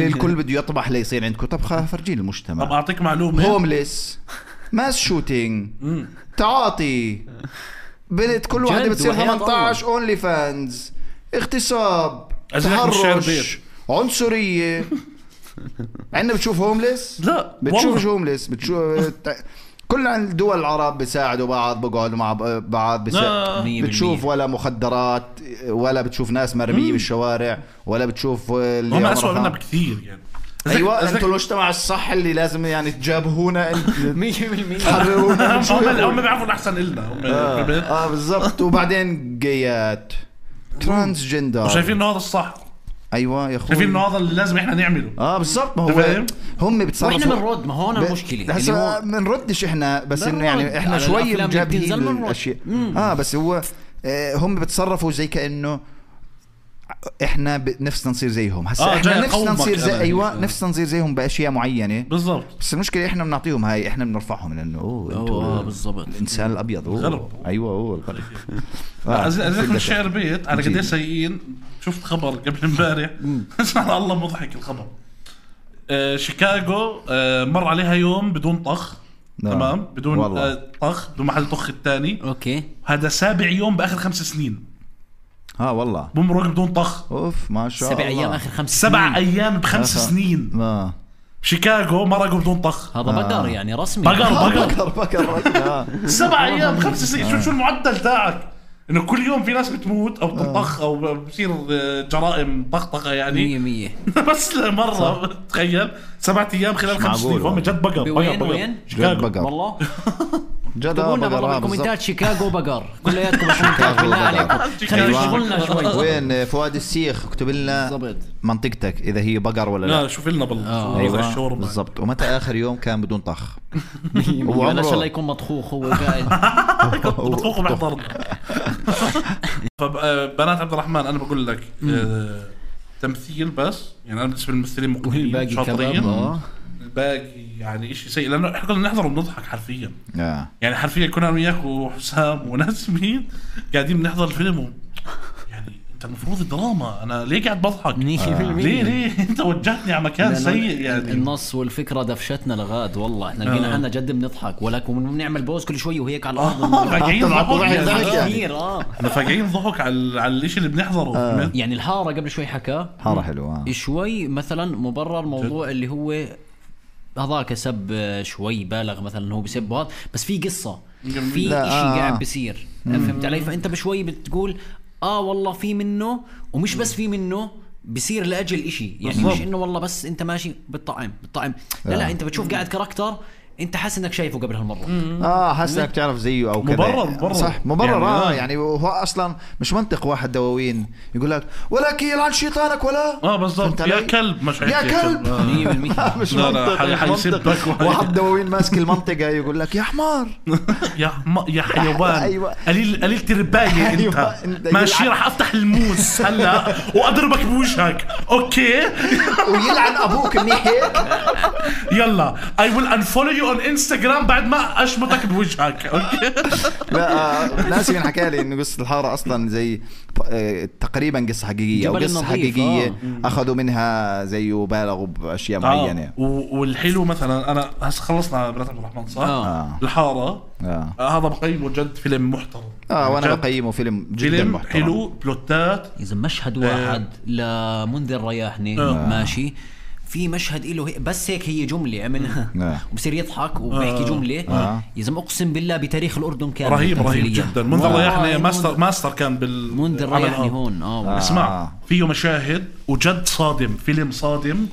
الكل بده يطبح ليصير عندكم. طب فرجيني المجتمع. طب اعطيك معلومه. هومليس ماس شوتينج تعاطي بنت كل واحدة بتصير 18 اونلي فانز اغتصاب تحرش عنصرية. عندنا بتشوف هومليس؟ لا بتشوفش هومليس. بتشوف كل الدول العرب بيساعدوا بعض بقعدوا مع بعض بتشوف ولا مخدرات ولا بتشوف ناس مرمية بالشوارع ولا بتشوف اللي هم أسوأ منا بكثير يعني. ايوه انتوا المجتمع الصح اللي لازم يعني تجابهونا 100% هم بيعرفوا الاحسن لنا بالضبط. وبعدين جيات ترانس جندر وشايفين انه هذا الصح. ايوه يا اخوي شايفين انه هذا اللي لازم احنا نعمله. بالضبط. ما هو هم بتصرفوا واحنا بنرد. ما هو انا المشكله هسه بنردش احنا بس انه يعني احنا شوي مجابهين الاشياء. بس هو هم بتصرفوا زي كانه احنا نفسنا نصير زيهم هسا احنا نفسنا نصير زي ايوه نفسنا نصير زيهم باشياء معينه بالضبط. بس المشكله احنا بنعطيهم هاي احنا بنرفعهم لانه انتوا بالضبط الانسان الابيض ايوه هو الغرب. اذكر الشعر بيت على قد سيئين. شفت خبر قبل امبارح اسمع الله مضحك الخبر. شيكاغو مر عليها يوم بدون طخ. تمام بدون طخ بدون محل طخ الثاني. اوكي هذا 7 يوم باخر 5 سنين. والله بمرق بدون طخ. اوف ما شاء الله 7 أيام اخر 5 سنين. 7 أيام ب5 سنين. شيكاغو مرقوا بدون طخ. هذا بقر يعني رسمي. بقر 7 أيام 5 سنين. شو المعدل تاعك انه كل يوم في ناس بتموت او بتطخ او بصير جرائم طخطقه يعني 100 بس مرة تخيل 7 أيام خلال 5 سنين. هم جد بقر. وين شيكاغو والله جد بقر. كومنتات شيكاغو بقر كلياتكم بالكومنتات بالله عليكم خلينا نشغلنا شوي. وين فؤاد السيخ اكتب لنا منطقتك اذا هي بقر ولا لا. شوف لنا ايوه بالضبط. ومتى اخر يوم كان بدون طخ؟ وعمره ان شاء الله يكون مطخوخ هو قاعد مطخوخ وبيحضرنا. فبنات عبد الرحمن انا بقول لك تمثيل بس يعني انا بالنسبه للممثلين مقبلين شاطرين. الباقي يعني إشي سيء لأنه إحنا كنا نحضر ونضحك حرفيا. يعني حرفيا كنا أنا وياك وحسام وناس مين قاعدين بنحضر الفيلم يعني أنت المفروض الدراما أنا ليه قاعد بضحك؟ ليه أنت وجهتني على مكان سيء يعني. النص والفكرة دفشتنا لغاد والله إحنا لقينا حنا جد بنضحك ولكن بنعمل بوز كل شوي وهيك على الأرض. فاقعين ضحك احنا فاقعين ضحك على الإشي اللي بنحضره. يعني الحارة قبل شوي حكى حارة حلوة شوي مثلا مبرر موضوع اللي هو هذاك سب شوي بالغ مثلا هو بسب هذا بس في قصة في إشي قاعد بيصير فهمت علي. فأنت بشوي بتقول والله في منه ومش بس في منه بيصير لأجل إشي يعني مش إنه والله بس أنت ماشي بالطعم لا أنت بتشوف قاعد كاركتر انت حاسس انك شايفه قبل هالمره حاسس انك تعرف زيه او كذا مبرر صح مبرر يعني هو اصلا مش منطق واحد دواوين يقول لك ولكن يلعن شيطانك ولا بالضبط يا كلب مش يا كلب 100% مش منطق حيسبك واحد دواوين ماسك المنطقه يقول لك يا حمار يا حيوان قليل تربايه انت ماشي راح افتح الموس هلا واضربك بوجهك اوكي ويلعن ابوك منيح هيك يلا I will unfollow you on Instagram بعد ما اشمطك بوجهك اوكي. لا ناسي من حكى لي انه قصة الحارة اصلا زي تقريبا قصة حقيقية او قصة حقيقية اخذوا منها زي وبالغوا باشياء معينة. والحلو مثلا انا هسه خلصنا بنات عبد الرحمن صح؟ الحارة هذا بقيمه جد فيلم محترم. وانا بقيمه فيلم جدا محترم حلو بلوتات. اذا مشهد واحد لمنذر رياحني ماشي في مشهد إله بس هيك هي جملة عملها وبصير يضحك وبيحكي جملة يا زلمة أقسم بالله بتاريخ الأردن كان رهيب جدا. منذر ريحني ماستر كان منذر ريحني هون اسمع فيه مشاهد وجد صادم فيلم صادم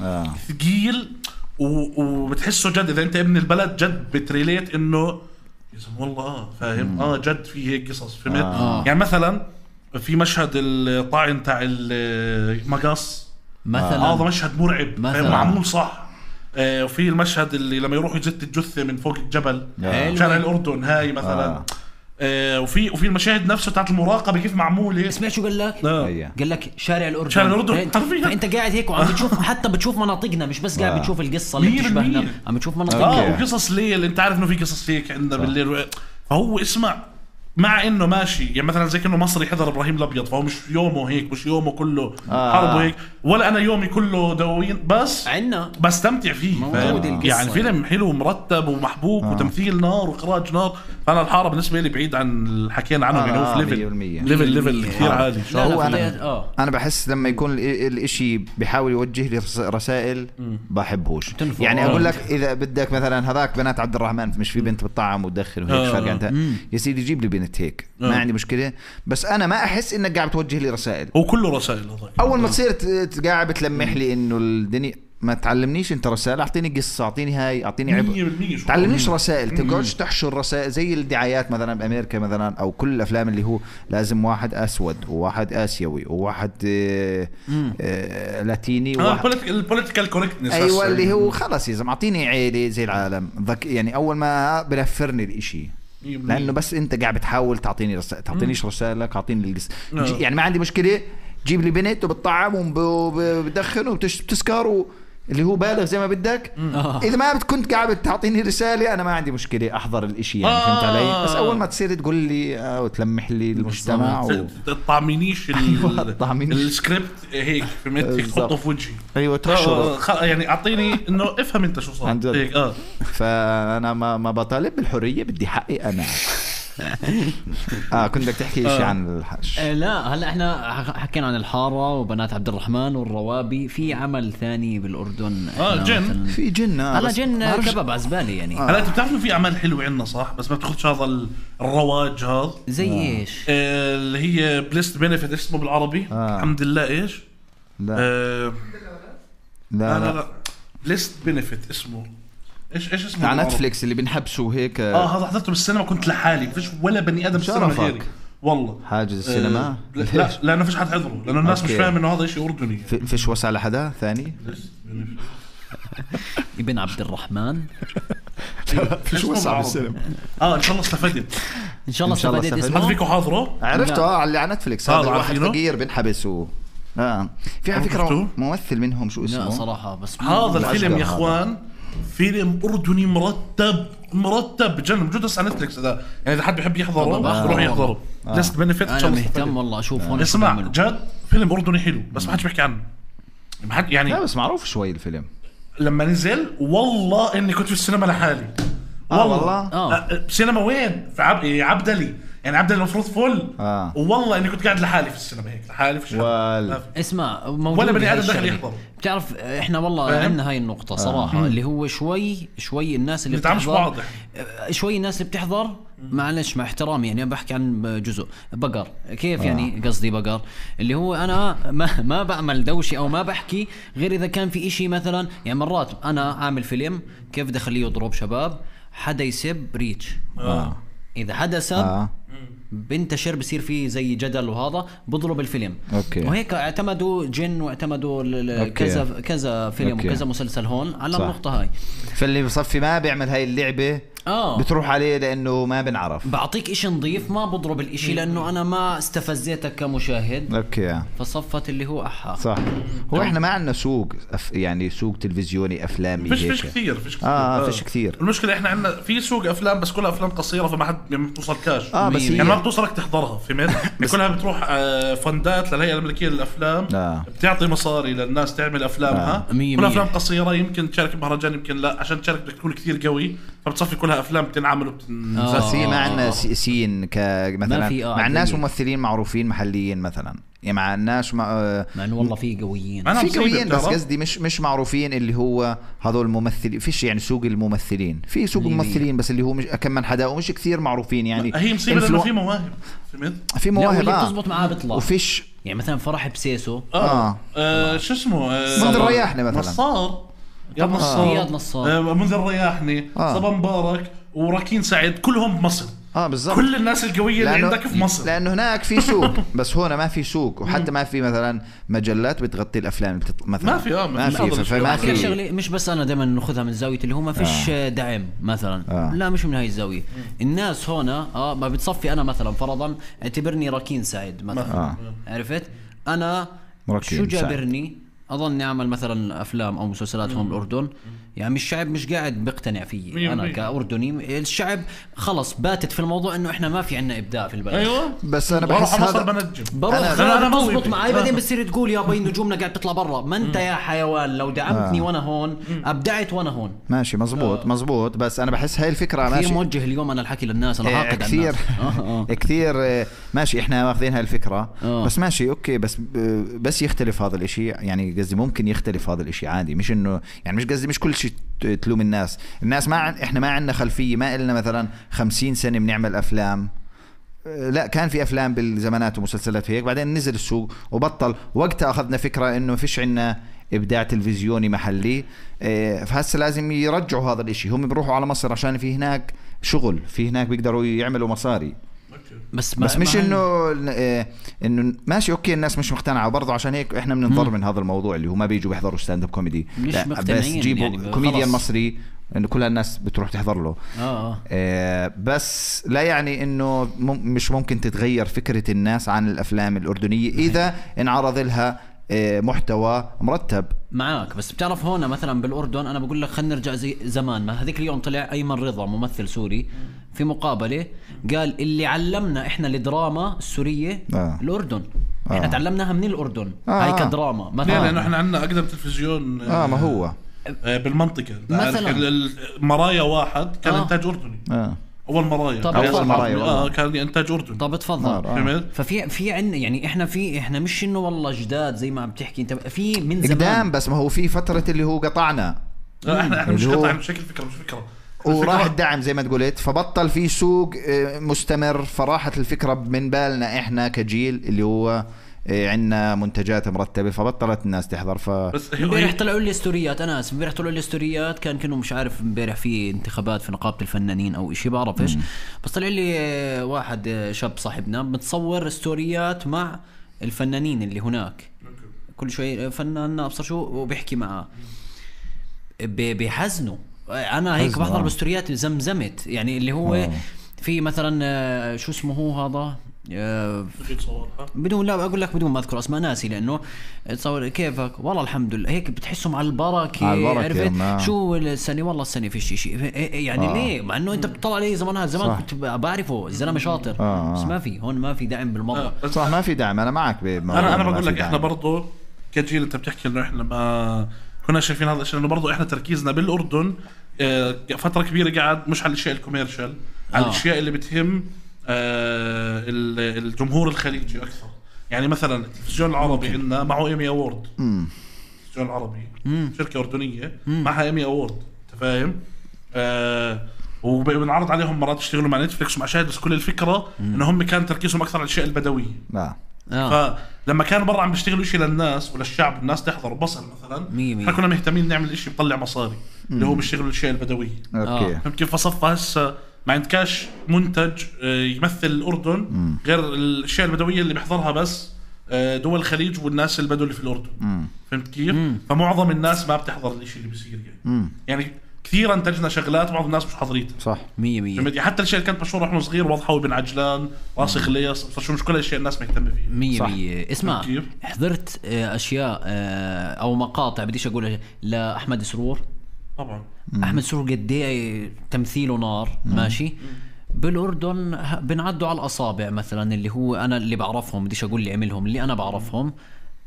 ثقيل وبتحسه جد إذا أنت ابن البلد جد بتريليت إنه يا زلمة والله فاهم جد في هيك قصص فهمت. يعني مثلا في مشهد الطاعن تاع المقص مثلا هذا مشهد مرعب معمول صح. وفي المشهد اللي لما يروحوا يزت الجثة من فوق الجبل شارع الأردن هاي مثلا. وفي المشاهد نفسه تاعت المراقبة كيف معمولة. اسمع شو قال لك؟ قال لك شارع الأردن فأنت قاعد هيك وعم بتشوف حتى بتشوف مناطقنا مش بس قاعد بتشوف القصة اللي بتشبهنا عم بتشوف مناطقنا وقصص ليل. انت عارف انه في قصص هيك عندنا بالليل. فهو اسمع مع انه ماشي يعني مثلا زي كأنه مصري حضر ابراهيم الابيض فهو مش يومه هيك مش يومه كله حرب هيك ولا انا يومي كله دواوين بس عنا بستمتع فيه يعني فيلم حلو ومرتب ومحبوك وتمثيل نار واخراج نار. فانا الحاره بالنسبه لي بعيد عن اللي حكينا عنه يعني هو في ليفل كثير عالي. هو انا بحس لما يكون الاشي بيحاول يوجه لي رسائل بحبهوش يعني اقول لك اذا بدك مثلا هذاك بنات عبد الرحمن مش في بنت بتطعم وتدخن وهيك فرق انت يا سيدي جيب لي بنت هيك ما عندي مشكله بس انا ما احس انك قاعد توجه لي رسائل. هو كله رسائل اول ما تصير قاعد بتلمح لي انه الدنيا ما تعلمنيش انت رسائل اعطيني قصه اعطيني هاي اعطيني عبء تعلمنيش رسائل تقعدش تحشر رسائل زي الدعايات مثلا بامريكا مثلا او كل الافلام اللي هو لازم واحد اسود وواحد اسيوي وواحد لاتيني البوليتيكال كوركتنس ايوه اللي هو خلص يا زلمه اعطيني عيله زي العالم يعني اول ما بنفرني الاشي لانه بس انت قاعد بتحاول تعطيني رسائل تعطينيش رسائلك اعطيني القصه يعني ما عندي مشكله جيب لي بنت وبتطعم وبدخن وبتسكر اللي هو بالغ زي ما بدك. اذا ما كنت قاعد تعطيني رساله انا ما عندي مشكله احضر الاشي يعني فهمت علي. بس اول ما تصير تقول لي وتلمح لي المجتمع تطعمينيش السكريبت هيك فهمت تحطه في وجهي. ايوه تحشره يعني اعطيني انه افهم انت شو صار هيك. فانا ما بطالب بالحريه بدي حقي انا. كنت بدك تحكي شيء عن الحش. لا هلا احنا حكينا عن الحاره وبنات عبد الرحمن والروابي. في عمل ثاني بالاردن جن في جن. هلا جن كباب عزبالي يعني. هلا انت بتعرفوا في اعمال حلوه عندنا صح بس ما بتاخذش هذا الرواج هذا. زي ايش اللي هي بليست بينيفيت اسمه بالعربي الحمد لله ايش لا لا بليست بينيفيت اسمه ايش اسمه على نتفليكس اللي بنحبسه هيك. هذا حضرته بالسينما كنت لحالي ما فيش ولا بني ادم بالسينما غيري والله. حاجز السينما لا لانه فيش حد حضره لانه الناس مش فاهم انه هذا شيء اردني. فيش وسع لحدا ثاني ابن عبد الرحمن. فيش وسع بالسينما. ان شاء الله استفدت ان شاء الله استفدت. اسمه هل فيكم حاضره عرفته على نتفليكس. هذا واحد فقير بنحبس في على فكرة ممثل منهم شو اسمه. لا صراحة بس هذا الفيلم يا اخوان فيلم أردني مرتب جن موجود على نتفليكس. هذا يعني إذا حد بيحب يحضره يروح يحضره. لست بنفيت أنا مهتم والله أشوفه. اسمع جد فيلم أردني حلو بس ما حدش بيحكي عنه. ما حد يعني لا بس معروف شوي الفيلم. لما نزل والله إني كنت في السينما لحالي. والله سينما وين في عبدلي يعني عبدلي المفروض فل. والله إني كنت قاعد لحالي في السينما هيك لحالي في الشارع. اسمع ولا بني آدم داخل يحضر. بتعرف احنا والله عندنا هاي النقطة صراحة اللي هو شوي الناس اللي بتحضر شوي الناس اللي بتحضر معلش مع احترامي يعني أنا بحكي عن جزء بقر كيف يعني قصدي بقر اللي هو أنا ما بعمل دوشي أو ما بحكي غير إذا كان في إشي مثلا يعني مرات أنا عامل فيلم كيف بدي أخليه يضرب شباب حدا يسب ريتش إذا حدا سب بنتشر بصير فيه زي جدل وهذا بضرب الفيلم. وهيك اعتمدوا جن واعتمدوا كذا فيلم وكذا مسلسل هون على النقطة هاي. فاللي بصفي ما بيعمل هاي اللعبة بتروح عليه لأنه ما بنعرف. بعطيك إشي نظيف ما بضرب الإشي لأنه أنا ما استفزيتك كمشاهد. فصفت اللي هو صح. هو إحنا ما عندنا سوق يعني سوق تلفزيوني أفلامي فيش كثير فيش كثير. المشكلة إحنا عندنا في سوق أفلام بس كلها أفلام قصيرة فما حد بتوصلكاش. بس يعني ما بتوصلك تحضرها فهمت. كلها بتروح فندات للهيئة الأمريكية للأفلام بتعطي مصاري للناس تعمل أفلامها. كلها أفلام قصيرة يمكن تشارك بمهرجان يمكن لا عشان تشارك بدك تكون كثير قوي فبتصفي كلها أفلام بتنعمل وبتنزل. ما عندنا سين كمثلا مع الناس ممثلين معروفين محليين مثلا يعني مع الناس مع انه والله في قويين بس قصدي مش معروفين اللي هو هذول الممثلين فيش يعني سوق الممثلين في سوق الممثلين بس اللي هو مش كم من حدا ومش كثير معروفين يعني. هي مصيبة لأنه في مواهب في مواهب بتزبط معاه بيطلع وفيش يعني مثلا فرح بسيسو شو اسمه منذر الرياحني مثلا نصار منذر الرياحني صبا مبارك وراكين سعيد كلهم بمصر. بالضبط كل الناس القوية اللي عندك في مصر لأنه هناك في سوق بس هنا ما في سوق وحتى ما في مثلا مجلات بتغطي الأفلام مثلا ما في فما في شغلة مش بس أنا دائما نأخذها من زاوية اللي هو ما فيش دعم مثلا لا مش من هاي الزاوية. الناس هنا ما بتصفي أنا مثلا فرضا اعتبرني راكين سعيد مثلا عرفت أنا شو جابرني أظن أعمل مثلا أفلام أو مسلسلات هون بالأردن يعني الشعب مش قاعد بيقتنع فيه أنا كأردني. الشعب خلص باتت في الموضوع إنه إحنا ما في عنا إبداع في البلد. بس أنا بحس هذا أنا مزبط معي بعدين بتصير تقول يا بين نجومنا قاعد تطلع برا ما أنت يا حيوان لو دعمتني وأنا هون أبدعت وأنا هون ماشي مزبوط بس أنا بحس هاي الفكرة ماشي كثير موجه اليوم أنا الحكي للناس أنا عاقد كثير كثير ماشي إحنا واخذين هاي الفكرة بس ماشي أوكي بس يختلف هذا الإشي يعني قصدي ممكن يختلف هذا الإشي عادي مش إنه يعني مش قصدي مش كل شيء تلوم الناس إحنا ما عندنا خلفية ما إلنا مثلا 50 سنة بنعمل أفلام لا كان في أفلام بالزمانات ومسلسلات هيك بعدين نزل السوق وبطل وقتها أخذنا فكرة إنه فيش عنا إبداع تلفزيوني محلي فهسه لازم يرجعوا هذا الإشي هم بيروحوا على مصر عشان في هناك شغل في هناك بيقدروا يعملوا مصاري بس مش انه ماشي اوكي الناس مش مقتنعه وبرضه عشان هيك احنا بننضر من هذا الموضوع اللي هو ما بيجوا بيحضروا ستاند اب كوميدي مش بس جيبوا يعني كوميديان مصري إنه كل الناس بتروح تحضر له. بس لا يعني إنه مش ممكن تتغير فكرة الناس عن الأفلام الأردنية إذا انعرض لها محتوى مرتب. معاك، بس بتعرف هون مثلا بالأردن أنا بقول لك خلينا نرجع زي زمان. ما هذيك اليوم طلع أيمن رضا ممثل سوري في مقابلة قال اللي علمنا إحنا الدراما السورية الأردن. إحنا تعلمناها من الأردن هاي كدراما مثلا، لأنه إحنا عندنا أقدم تلفزيون ما هو بالمنطقة مثلا. مرايا واحد كان إنتاج أردني. أول مرايا كان إنتاج أردني. طب تفضل. ففي عنا يعني إحنا مش إنه والله جداد زي ما عم تحكي أنت، في من زمان قدام، بس ما هو في فترة اللي هو قطعنا. إحنا مش قطعنا بشكل فكرة وراح الدعم زي ما تقولت، فبطل في سوق مستمر، فراحت الفكرة من بالنا إحنا كجيل اللي هو عندنا منتجات مرتبة، فبطلت الناس تحضر. بس امبارح طلعوا لي ستوريات، أنا آسف، امبارح طلعوا لي ستوريات كانوا مش عارف امبارح في انتخابات في نقابة الفنانين أو إشي بعرف إيش، بس طلع لي واحد شاب صاحبنا متصور ستوريات مع الفنانين اللي هناك، كل شوي فنان أبصر شو وبيحكي معه، بيحزنوا. أنا هيك بحضر بستوريات زمزمت يعني اللي هو في مثلا شو اسمه هو هذا بدون لا أقول لك بدون ما أذكر أسماء ناسي، لأنه تصور كيفك والله الحمد لله هيك بتحسهم على البركة عرفت شو السنة والله السنة فيش شيء يعني ليه مع إنه أنت بتطلع عليه زمان كنت بعرفه الزلمة شاطر بس ما في هون ما في دعم بالمرة. صح ما في دعم. أنا معك أنا بقول لك إحنا برضو كجيل أنت بتحكي إنه إحنا ما كنا شايفين هذا الشيء، إنه برضو إحنا تركيزنا بالأردن فترة كبيرة قاعد مش على الأشياء الكوميرشال، على الأشياء اللي بتهم الجمهور الخليجي أكثر. يعني مثلا التلفزيون العربي عندنا معه إيمي أورد، التلفزيون العربي شركة أردنية معها إيمي أورد، أنت فاهم؟ وبنعرض عليهم مرات يشتغلوا مع نتفليكس ومع شاهد، بس كل الفكرة إنهم كان تركيزهم أكثر على الأشياء البدوية. فلما كانوا برا عم بيشتغلوا إشي للناس وللشعب، الناس تحضر بصل مثلا، احنا كنا مهتمين نعمل إشي بيطلع مصاري اللي هو بيشتغلوا الأشياء البدوية. فهمت كيف؟ فصفى هسه ما عندكاش منتج يمثل الأردن غير الأشياء البدوية اللي بيحضرها بس دول الخليج والناس البدو اللي في الأردن. فهمت كيف؟ فمعظم الناس ما بتحضر الإشي اللي بيصير يعني كثير انتجنا شغلات بعض الناس مش حاضريتها. صح 100%. حتى الاشياء اللي كانت مشهوره واحنا صغير، واضحه وابن عجلان، راسي خليص، شو مش كل الاشياء الناس مهتمه فيها. 100%. اسمع حضرت اشياء او مقاطع بديش اقول لاحمد سرور. طبعا احمد سرور قد ايه تمثيله نار. ماشي. بالاردن بنعدوا على الاصابع مثلا اللي هو انا اللي بعرفهم، بديش اقول اللي عملهم، اللي انا بعرفهم.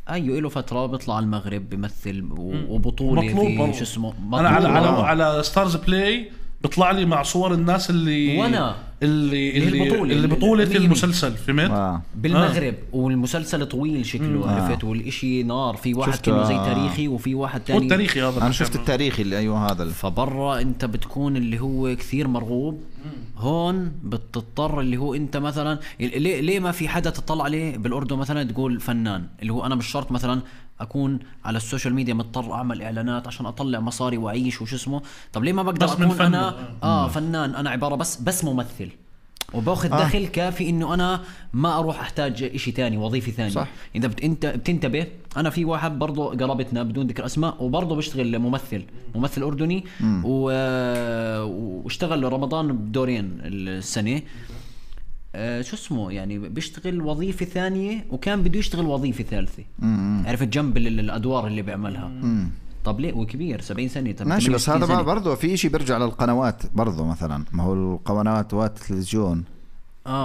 ايوه له فتره بيطلع على المغرب بيمثل وبطوله في شو اسمه. انا على ستارز بلاي بيطلع لي مع صور الناس اللي وانا اللي بطوله المسلسل فهمت بالمغرب. والمسلسل طويل شكله عرفت، والاشي نار. في واحد كله زي تاريخي وفي واحد تاني والتاريخي هذا انا شفت التاريخي اللي ايوه هذا. فبرا انت بتكون اللي هو كثير مرغوب. هون بتضطر اللي هو انت مثلا ليه ما في حدا تطلع عليه بالاردن مثلا تقول فنان، اللي هو انا مش شرط مثلا اكون على السوشيال ميديا مضطر اعمل اعلانات عشان اطلع مصاري واعيش وشو اسمه. طب ليه ما بقدر اكون انا فنان، انا عبارة بس ممثل وباخذ دخل كافي انه انا ما اروح احتاج اشي تاني، وظيفة ثانية. صح. اذا انت بتنتبه، انا في واحد برضو قرابتنا بدون ذكر اسماء وبرضو بيشتغل ممثل اردني واشتغل رمضان بدورين السنة. شو اسمه يعني بيشتغل وظيفة ثانية وكان بده يشتغل وظيفة ثالثة. عرفت جنب الادوار اللي بيعملها. طب ليه وكبير 70 سنة ماشي. بس هذا برضه في شيء بيرجع للقنوات برضه. مثلا ما هو القنوات والتلفزيون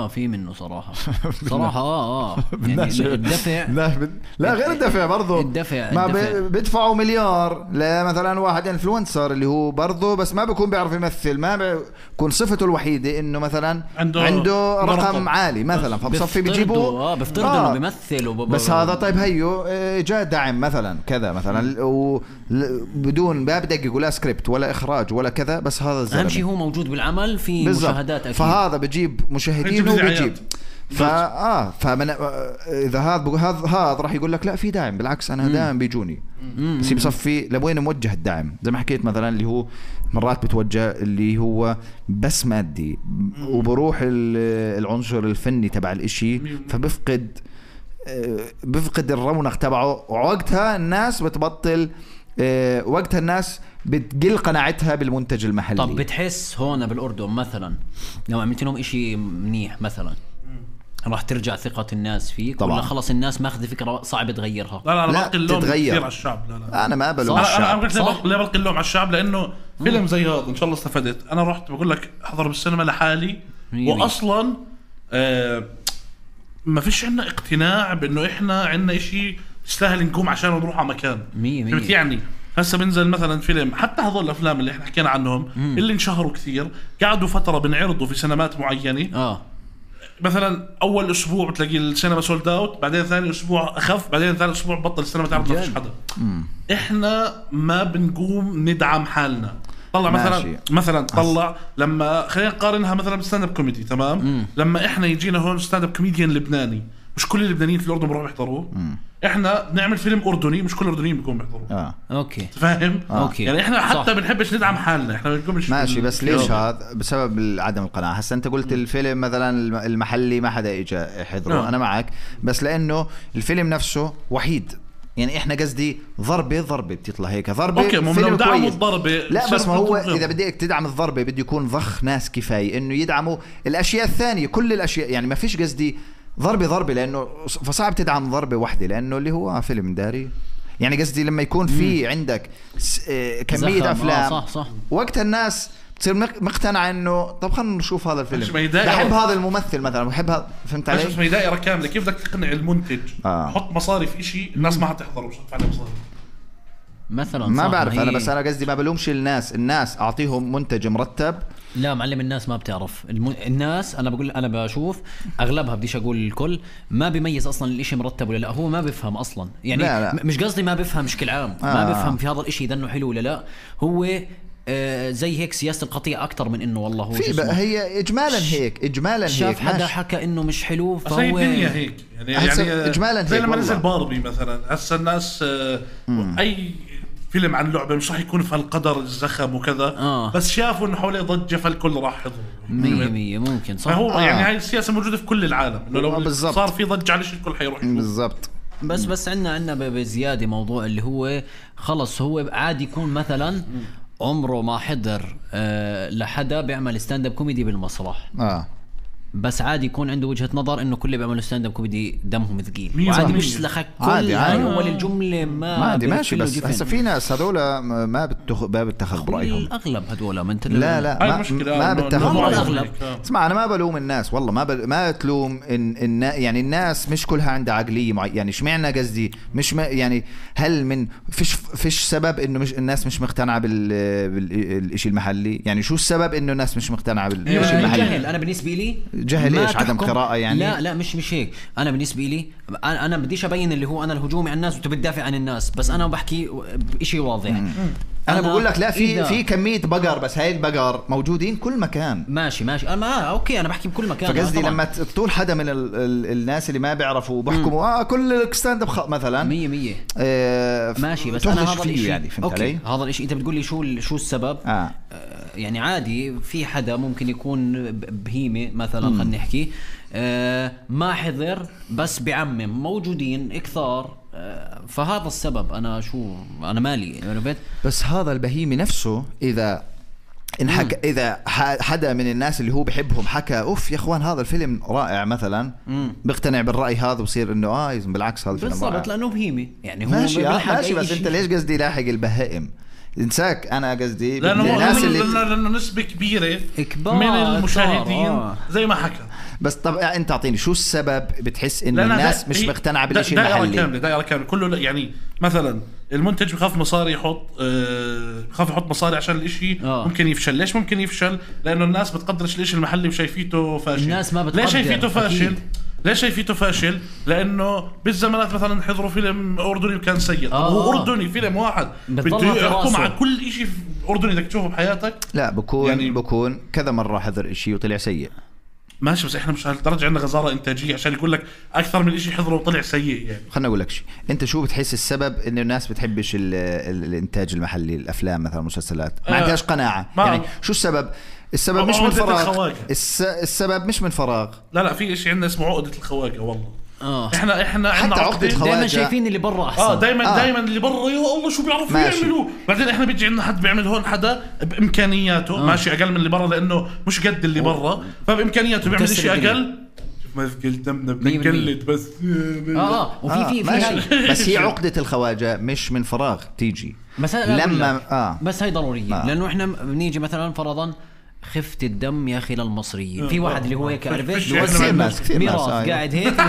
في منه صراحة يعني الدفع لا غير الدفع برضو. ما بيدفعوا مليار لمثلا واحد انفلونسر اللي هو برضو بس ما بيكون بيعرف يمثل، ما بيكون صفته الوحيدة انه مثلا عنده رقم عالي مثلا، فبصفي بيجيبوا بيفترضوا انه بيمثل بس هذا. طيب هيو جاء دعم مثلا كذا مثلا بدون ما بدقق ولا سكريبت ولا اخراج ولا كذا، بس هذا الزلمة اهم شيء هو موجود بالعمل في بالزبط. مشاهدات اكيد. فهذا بجيب مشاهدين وبيجيب فمن اذا هذا راح يقول لك لا في دعم، بالعكس انا دائما بيجوني. بس بصفي لوين موجه الدعم؟ زي ما حكيت مثلا اللي هو مرات بتوجه اللي هو بس مادي وبروح العنصر الفني تبع الاشي، فبفقد الرونق تبعه، ووقتها الناس بتبطل وقتها الناس بتقل قناعتها بالمنتج المحلي. طب بتحس هون بالأردن مثلا لو عملت لهم إشي منيح مثلا راح ترجع ثقة الناس فيك ولا خلص الناس ماخذ فكرة صعب تغيرها؟ لا أنا بلقي اللوم كثير على الشعب. لا أنا ما بلوم الشعب. أنا بلقي اللوم على الشعب لأنه فيلم زي هذا إن شاء الله استفدت. أنا رحت بقول لك أحضر بالسينما لحالي وأصلا ما فيش عنا اقتناع بأنه إحنا عنا إشي يستاهل نقوم عشان نروح على مكان. فهمت يعني؟ هسه بنزل مثلا فيلم حتى هذول الأفلام اللي إحنا حكينا عنهم اللي انشهروا كثير قعدوا فترة بنعرضوا في سينمات معينة. مثلا اول اسبوع بتلاقي السينما سولد اوت، بعدين ثاني اسبوع اخف، بعدين ثالث اسبوع بطل السينما تعرض ما فيش حدا. احنا ما بنقوم ندعم حالنا. طلع مثلا طلع لما خلينا نقارنها مثلا بالستاند اب كوميدي تمام. لما احنا يجينا هون ستاند اب كوميديان لبناني مش كل اللبنانيين في الاردن بيروحوا يحضروه. احنا بنعمل فيلم اردني مش كل الاردنيين بيقوموا يحضروه. اوكي فاهم. اوكي يعني احنا حتى بنحبش ندعم حالنا، احنا بنقومش ماشي. بس ليش هذا؟ بسبب عدم القناعه. هسه انت قلت الفيلم مثلا المحلي ما حدا اجى يحضره. انا معك بس لانه الفيلم نفسه وحيد. يعني احنا قصدي ضربه بتطلع هيك ضربه. اوكي لو دعموا الضربه لا بس ما هو اذا بدك تدعم الضربه بده يكون ضخ ناس كفايه انه يدعموا الاشياء الثانيه كل الاشياء. يعني ما فيش قصدي ضربه لانه فصعب تدعم ضربه واحده لانه اللي هو فيلم داري. يعني قصدي لما يكون في عندك كميه افلام صح. وقت الناس تصير مقتنعه انه طب خلينا نشوف هذا الفيلم، بحب هذا الممثل مثلا، بحب هذا. فهمت علي؟ مش دائره كامله. كيف بدك تقنع المنتج حط مصاري في شيء الناس ما حتحضره مش هتدفع عليه مصاري مثلا؟ ما بعرف انا. بس انا قصدي ما بلومش الناس اعطيهم منتج مرتب. لا معلم الناس ما بتعرف. الناس انا بقول انا بشوف اغلبها بديش اقول الكل ما بيميز اصلا الاشي مرتب ولا لا. هو ما بيفهم اصلا يعني. لا. مش قصدي ما بيفهم بشكل عام. ما بيفهم في هذا الاشي اذا انه حلو ولا لا. هو زي هيك سياسة القطيع أكتر من إنه والله هو هي إجمالا هيك شاف حدا حكى إنه مش حلو فهو الدنيا هيك يعني إجمالا زي هيك. لما نزل باربي مثلا هسه الناس أي فيلم عن لعبة مش راح يكون في هالقدر الزخم وكذا. بس شافوا إنه حواليه ضجة فالكل راح يحضر 100% ممكن صح. فهو يعني هاي السياسة موجودة في كل العالم إنه لو صار في ضجة على الكل حيروح بالضبط. بس عندنا بزيادة موضوع اللي هو خلص هو عادي يكون مثلا عمره ما حضر لحدا بيعمل ستاند اب كوميدي بالمسرح. بس عادي يكون عنده وجهة نظر انه كل اللي بيعملوا ستاند اب كوميدي دمهم ثقيل وعادي مش لخك كل اول الجمله ما عادي ماشي. بس هسه في ناس هذول ما بتاخذ برايهم. الاغلب هذول ما انت لا ما بتاخذ برايهم. اسمع انا ما بلوم الناس والله ما تلوم يعني الناس مش كلها عندها عقليه يعني اشمعنى قصدي مش يعني هل من فيش سبب انه مش الناس مش مقتنعه بالشيء المحلي؟ يعني شو السبب انه الناس مش مقتنعه بالشيء المحلي؟ انا بالنسبه لي جهل ايش عدم قراءة يعني. لا مش هيك. انا بالنسبه لي انا بديش ابين اللي هو انا الهجومي على الناس وانت بتدافع عن الناس. بس انا بحكي بشيء واضح. انا بقول لك لا في كميه بقر بس هاي البقر موجودين كل مكان. ماشي انا اوكي انا بحكي بكل مكان. فقصدي لما تطول حدا من الناس اللي ما بيعرفوا بحكموا كل ستاند اب مثلا 100% ماشي. بس انا هذا الشيء يعني فهمت علي؟ هذا الشيء انت بتقول لي شو السبب. يعني عادي في حدا ممكن يكون بهيمة مثلا خلينا نحكي ما حضر بس بعمم موجودين كثار. فهذا السبب. انا مالي بس هذا البهيمي نفسه اذا اذا حدا من الناس اللي هو بحبهم حكى اوف يا اخوان هذا الفيلم رائع مثلا بقتنع بالراي هذا وبصير انه بالعكس هذا الفيلم بالضبط لانه بهيمي يعني هو ماشي بس انت ليش قصدي لاحق البهائم؟ انساك انا قصدي الناس لانه نسبه كبيره من المشاهدين زي ما حكى. بس طب انت اعطيني شو السبب بتحس انه الناس مش مقتنعه بالشيء المحلي؟ دائره كامله كله يعني مثلا المنتج بخاف مصاري بخاف يحط مصاري عشان الاشي ممكن يفشل. ليش ممكن يفشل؟ لانه الناس بتقدرش الاشي المحلي وشايفيته فاشل. الناس ما بتقدر. ليش شايفيته فاشل؟ لانه بالزمانات مثلا حضروا فيلم اردني وكان سيء. هو اردني فيلم واحد بده يحكم على كل اشي اردني بدك تشوفه بحياتك. لا بكون كذا مره حضر اشي وطلع سيء. ماشي بس احنا مش هالدرجه عندنا غزاره انتاجيه عشان يقول لك اكثر من شيء حضره وطلع سيء. يعني خلنا اقول لك شيء. انت شو بتحس السبب انه الناس بتحبش الانتاج المحلي الافلام مثلا المسلسلات ما عندهاش قناعه؟ يعني شو السبب مش من فراغ. السبب مش من فراغ. لا في شيء عندنا اسمه عقده الخواجه والله. احنا عندنا عقدة دائما شايفين اللي برا احسن. دائما اللي برا يا الله شو بيعرفوا يعملوا. بعدين احنا بيجي عندنا حد بيعمل هون حدا بامكانياته ماشي اقل من اللي برا لانه مش قد اللي برا فبامكانياته بيعمل شيء اقل. ما قلتمنا بنقلد بس وفي بس هي عقدة الخواجة مش من فراغ تيجي بس بس هاي ضرورية لأنه إحنا بنيجي مثلا فرضا خفة الدم يا أخي للمصريين في واحد اللي هو هيك عرفت ميراث قاعد هيك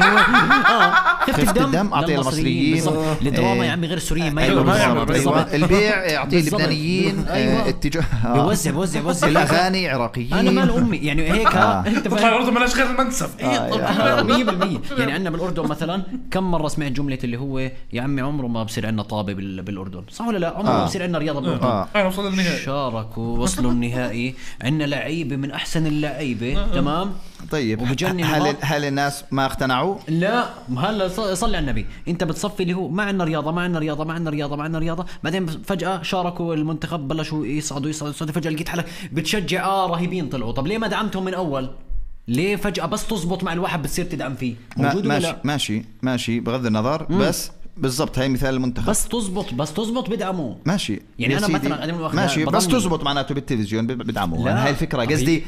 خفة الدم أعطيه للمصريين الدراما يا عمي غير السوريين ما يعملوا البيع يعطيه اللبنانيين اتجاه بوزع الأغاني عراقيين أنا مال أمي يعني هيك أنت الأردن ملاش غير المنسف 100% يعني عندنا بالأردن مثلا كم مرة سمعت جملة اللي هو يا عمي عمره ما بصير عندنا طابة بالأردن صح ولا لا عمره ما بصير عندنا رياضة بالأردن شاركوا وصلوا النهائي عندنا لعيبة من أحسن اللعيبة تمام. طيب هل الناس ما اقتنعوا؟ لا هلا صلي على النبي انت بتصفي اللي هو ما عندنا رياضة بعدين فجأة شاركوا المنتخب بلشوا يصعدوا فجأة لقيت حالك بتشجع رهيبين طلعوا. طب ليه ما دعمتهم من أول؟ ليه فجأة بس تزبط مع الواحد بتصير تدعم فيه؟ ماشي بغض النظر بس بالضبط هاي مثال المنتخب بس تزبط بدعموه ماشي يعني أنا مثلا ماشي بس تزبط معناته بالتلفزيون بدعموه. هاي الفكرة قصدي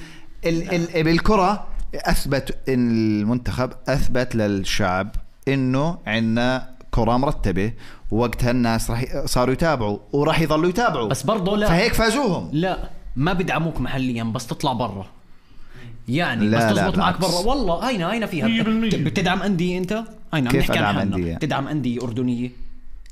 بالكرة أثبت المنتخب أثبت للشعب إنه عنا كرة مرتبة ووقتها الناس صاروا يتابعوا وراح يظلوا يتابعوا بس برضو لا فهيك فازوهم. لا ما بدعموك محليا بس تطلع برا يعني بس تزبط معك برا والله هينا فيها بتدعم أندية أنت كيف أدعم أندية تدعم أندية أردنية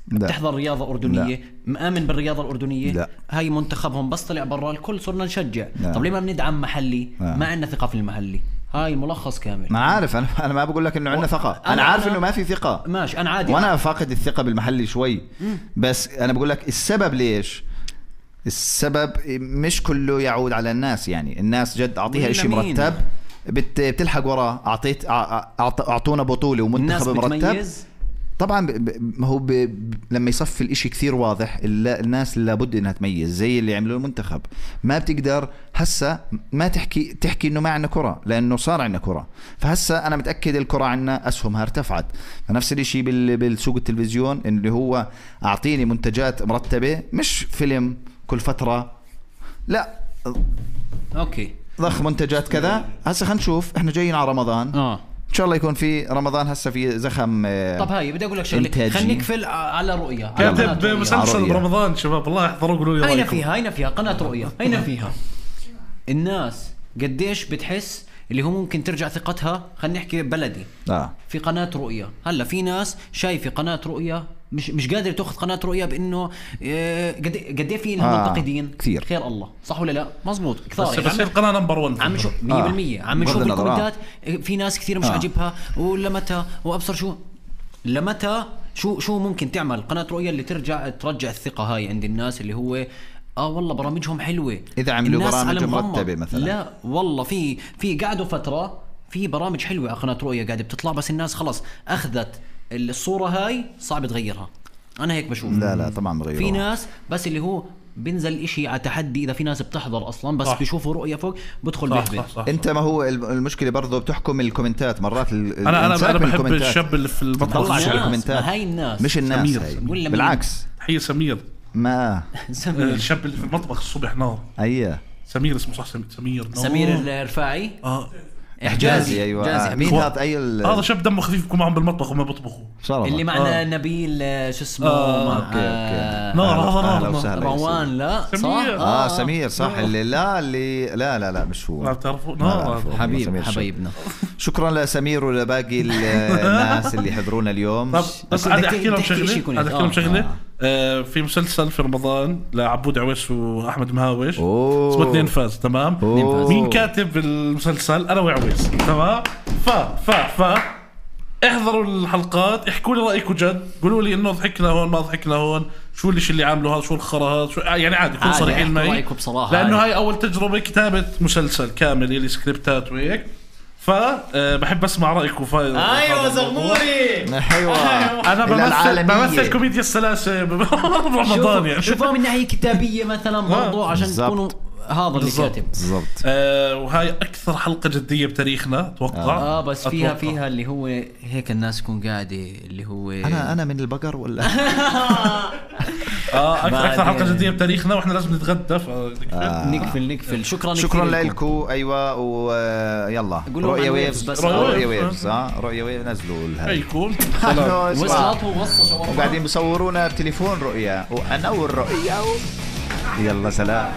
بتحضر رياضة أردنية مآمن بالرياضة الأردنية لا. هاي منتخبهم بس طلع برا الكل صرنا نشجع لا. طب ليه ما بندعم محلي ما عندنا ثقة في المحلي. هاي ملخص كامل. ما عارف أنا ما بقول لك إنه عندنا ثقة أنا عارف إنه ما في ثقة ماشي أنا عادي وأنا فاقد الثقة بالمحلي شوي بس أنا بقول لك السبب ليش السبب مش كله يعود على الناس يعني الناس جد أعطيها إشي مرتب بتلحق وراه أعطونا بطولة ومنتخب مرتب طبعا هو لما يصفي الاشي كثير واضح الناس لابد انها تميز زي اللي عملوا المنتخب ما بتقدر هسه ما تحكي انه ما عندنا كرة لانه صار عندنا كرة فهسه انا متأكد الكرة عندنا اسهمها ارتفعت. فنفس الاشي بالسوق التلفزيون اللي هو اعطيني منتجات مرتبة مش فيلم كل فترة لا اوكي ضخ منتجات كذا. هسه خلينا نشوف احنا جايين على رمضان ان شاء الله يكون في رمضان هسه في زخم. طب هاي بدي اقول لك شغله خلينا نقفل على رؤية كاتب مسلسل برمضان شباب الله يحضروا قولوا لي رايكم. هينا فيها قناة رؤية هينا فيها الناس قديش بتحس اللي هو ممكن ترجع ثقتها. خلينا نحكي بلدي في قناة رؤية هلا في ناس شايفة قناة رؤية مش قادر تاخذ قناة رؤية بانه قد ايه في لها منتقدين كثير خير الله صح ولا لا مزبوط كثار بس القناة نمبر 1 عم شو 100% عم نشوف الكومنتات في ناس كثير مش عاجبها ولمتى وابصر شو ممكن تعمل قناة رؤية اللي ترجع الثقة هاي عند الناس اللي هو والله برامجهم حلوة إذا عملوا برامج مرتبة مثلا. لا والله في قعدوا فترة في برامج حلوة على قناة رؤية قاعدة بتطلع بس الناس خلاص أخذت الصورة هاي صعب تغيرها. أنا هيك بشوف. لا طبعا بغيرها. في ناس بس اللي هو بنزل إشي على تحدي إذا في ناس بتحضر أصلا بس بيشوفوا رؤية فوق بدخل بيحبه. أنت ما هو المشكلة برضو بتحكم الكومنتات مرات. أنا بحب الشاب اللي في المطبخ على الكومنتات. هاي الناس مش الناس بالعكس. هي سمير ما الشاب اللي في المطبخ الصبح نار. أيه سمير اسمه صح سمير الرفاعي. حجازي ايوه مين هذا هذا شاب دمه خفيف يكون معهم بالمطبخ وما بيطبخوا اللي معنا نبيل شو اسمه اوكي نار روان لا صح سمير صح اللي لا مش هو ما بتعرفوا حبيبنا شكرا لسمير ولباقي الناس اللي حضرونا اليوم. بس عادي احكي لهم شغله في مسلسل في رمضان لعبود عويس واحمد مهاوش اسمه 2 فاز تمام. مين كاتب المسلسل؟ انا وعويس تمام. ف احضروا الحلقات احكوا لي رايكم جد قولوا لي انه ضحكنا هون ما ضحكنا هون شو الشيء اللي عامله هذا شو الخرا هذا يعني عادي كون صريحين معي لانه هاي اول تجربه كتابه مسلسل كامل اللي سكريبتات وهيك فبحب اسمع رايكم. ايوه زغموري ايوه انا بمثل كوميديا السلاسه برمضان يعني شوفوا من ناحيه كتابيه مثلا برضو عشان تكونوا هذا اللي كاتب بالضبط. وهاي اكثر حلقه جديه بتاريخنا اتوقع. بس فيها اللي هو هيك الناس تكون قاعده اللي هو انا من البقر ولا اكثر حلقه جديه بتاريخنا واحنا لازم نتغدى نقفل. شكرا لكم. ايوه ويلا رؤيا ويفز بس رؤيا ويفز رؤيا ويفز نزلوا هيكون وقاعدين بصورونا بتليفون رؤيا وانا والرؤيا. يلا سلام.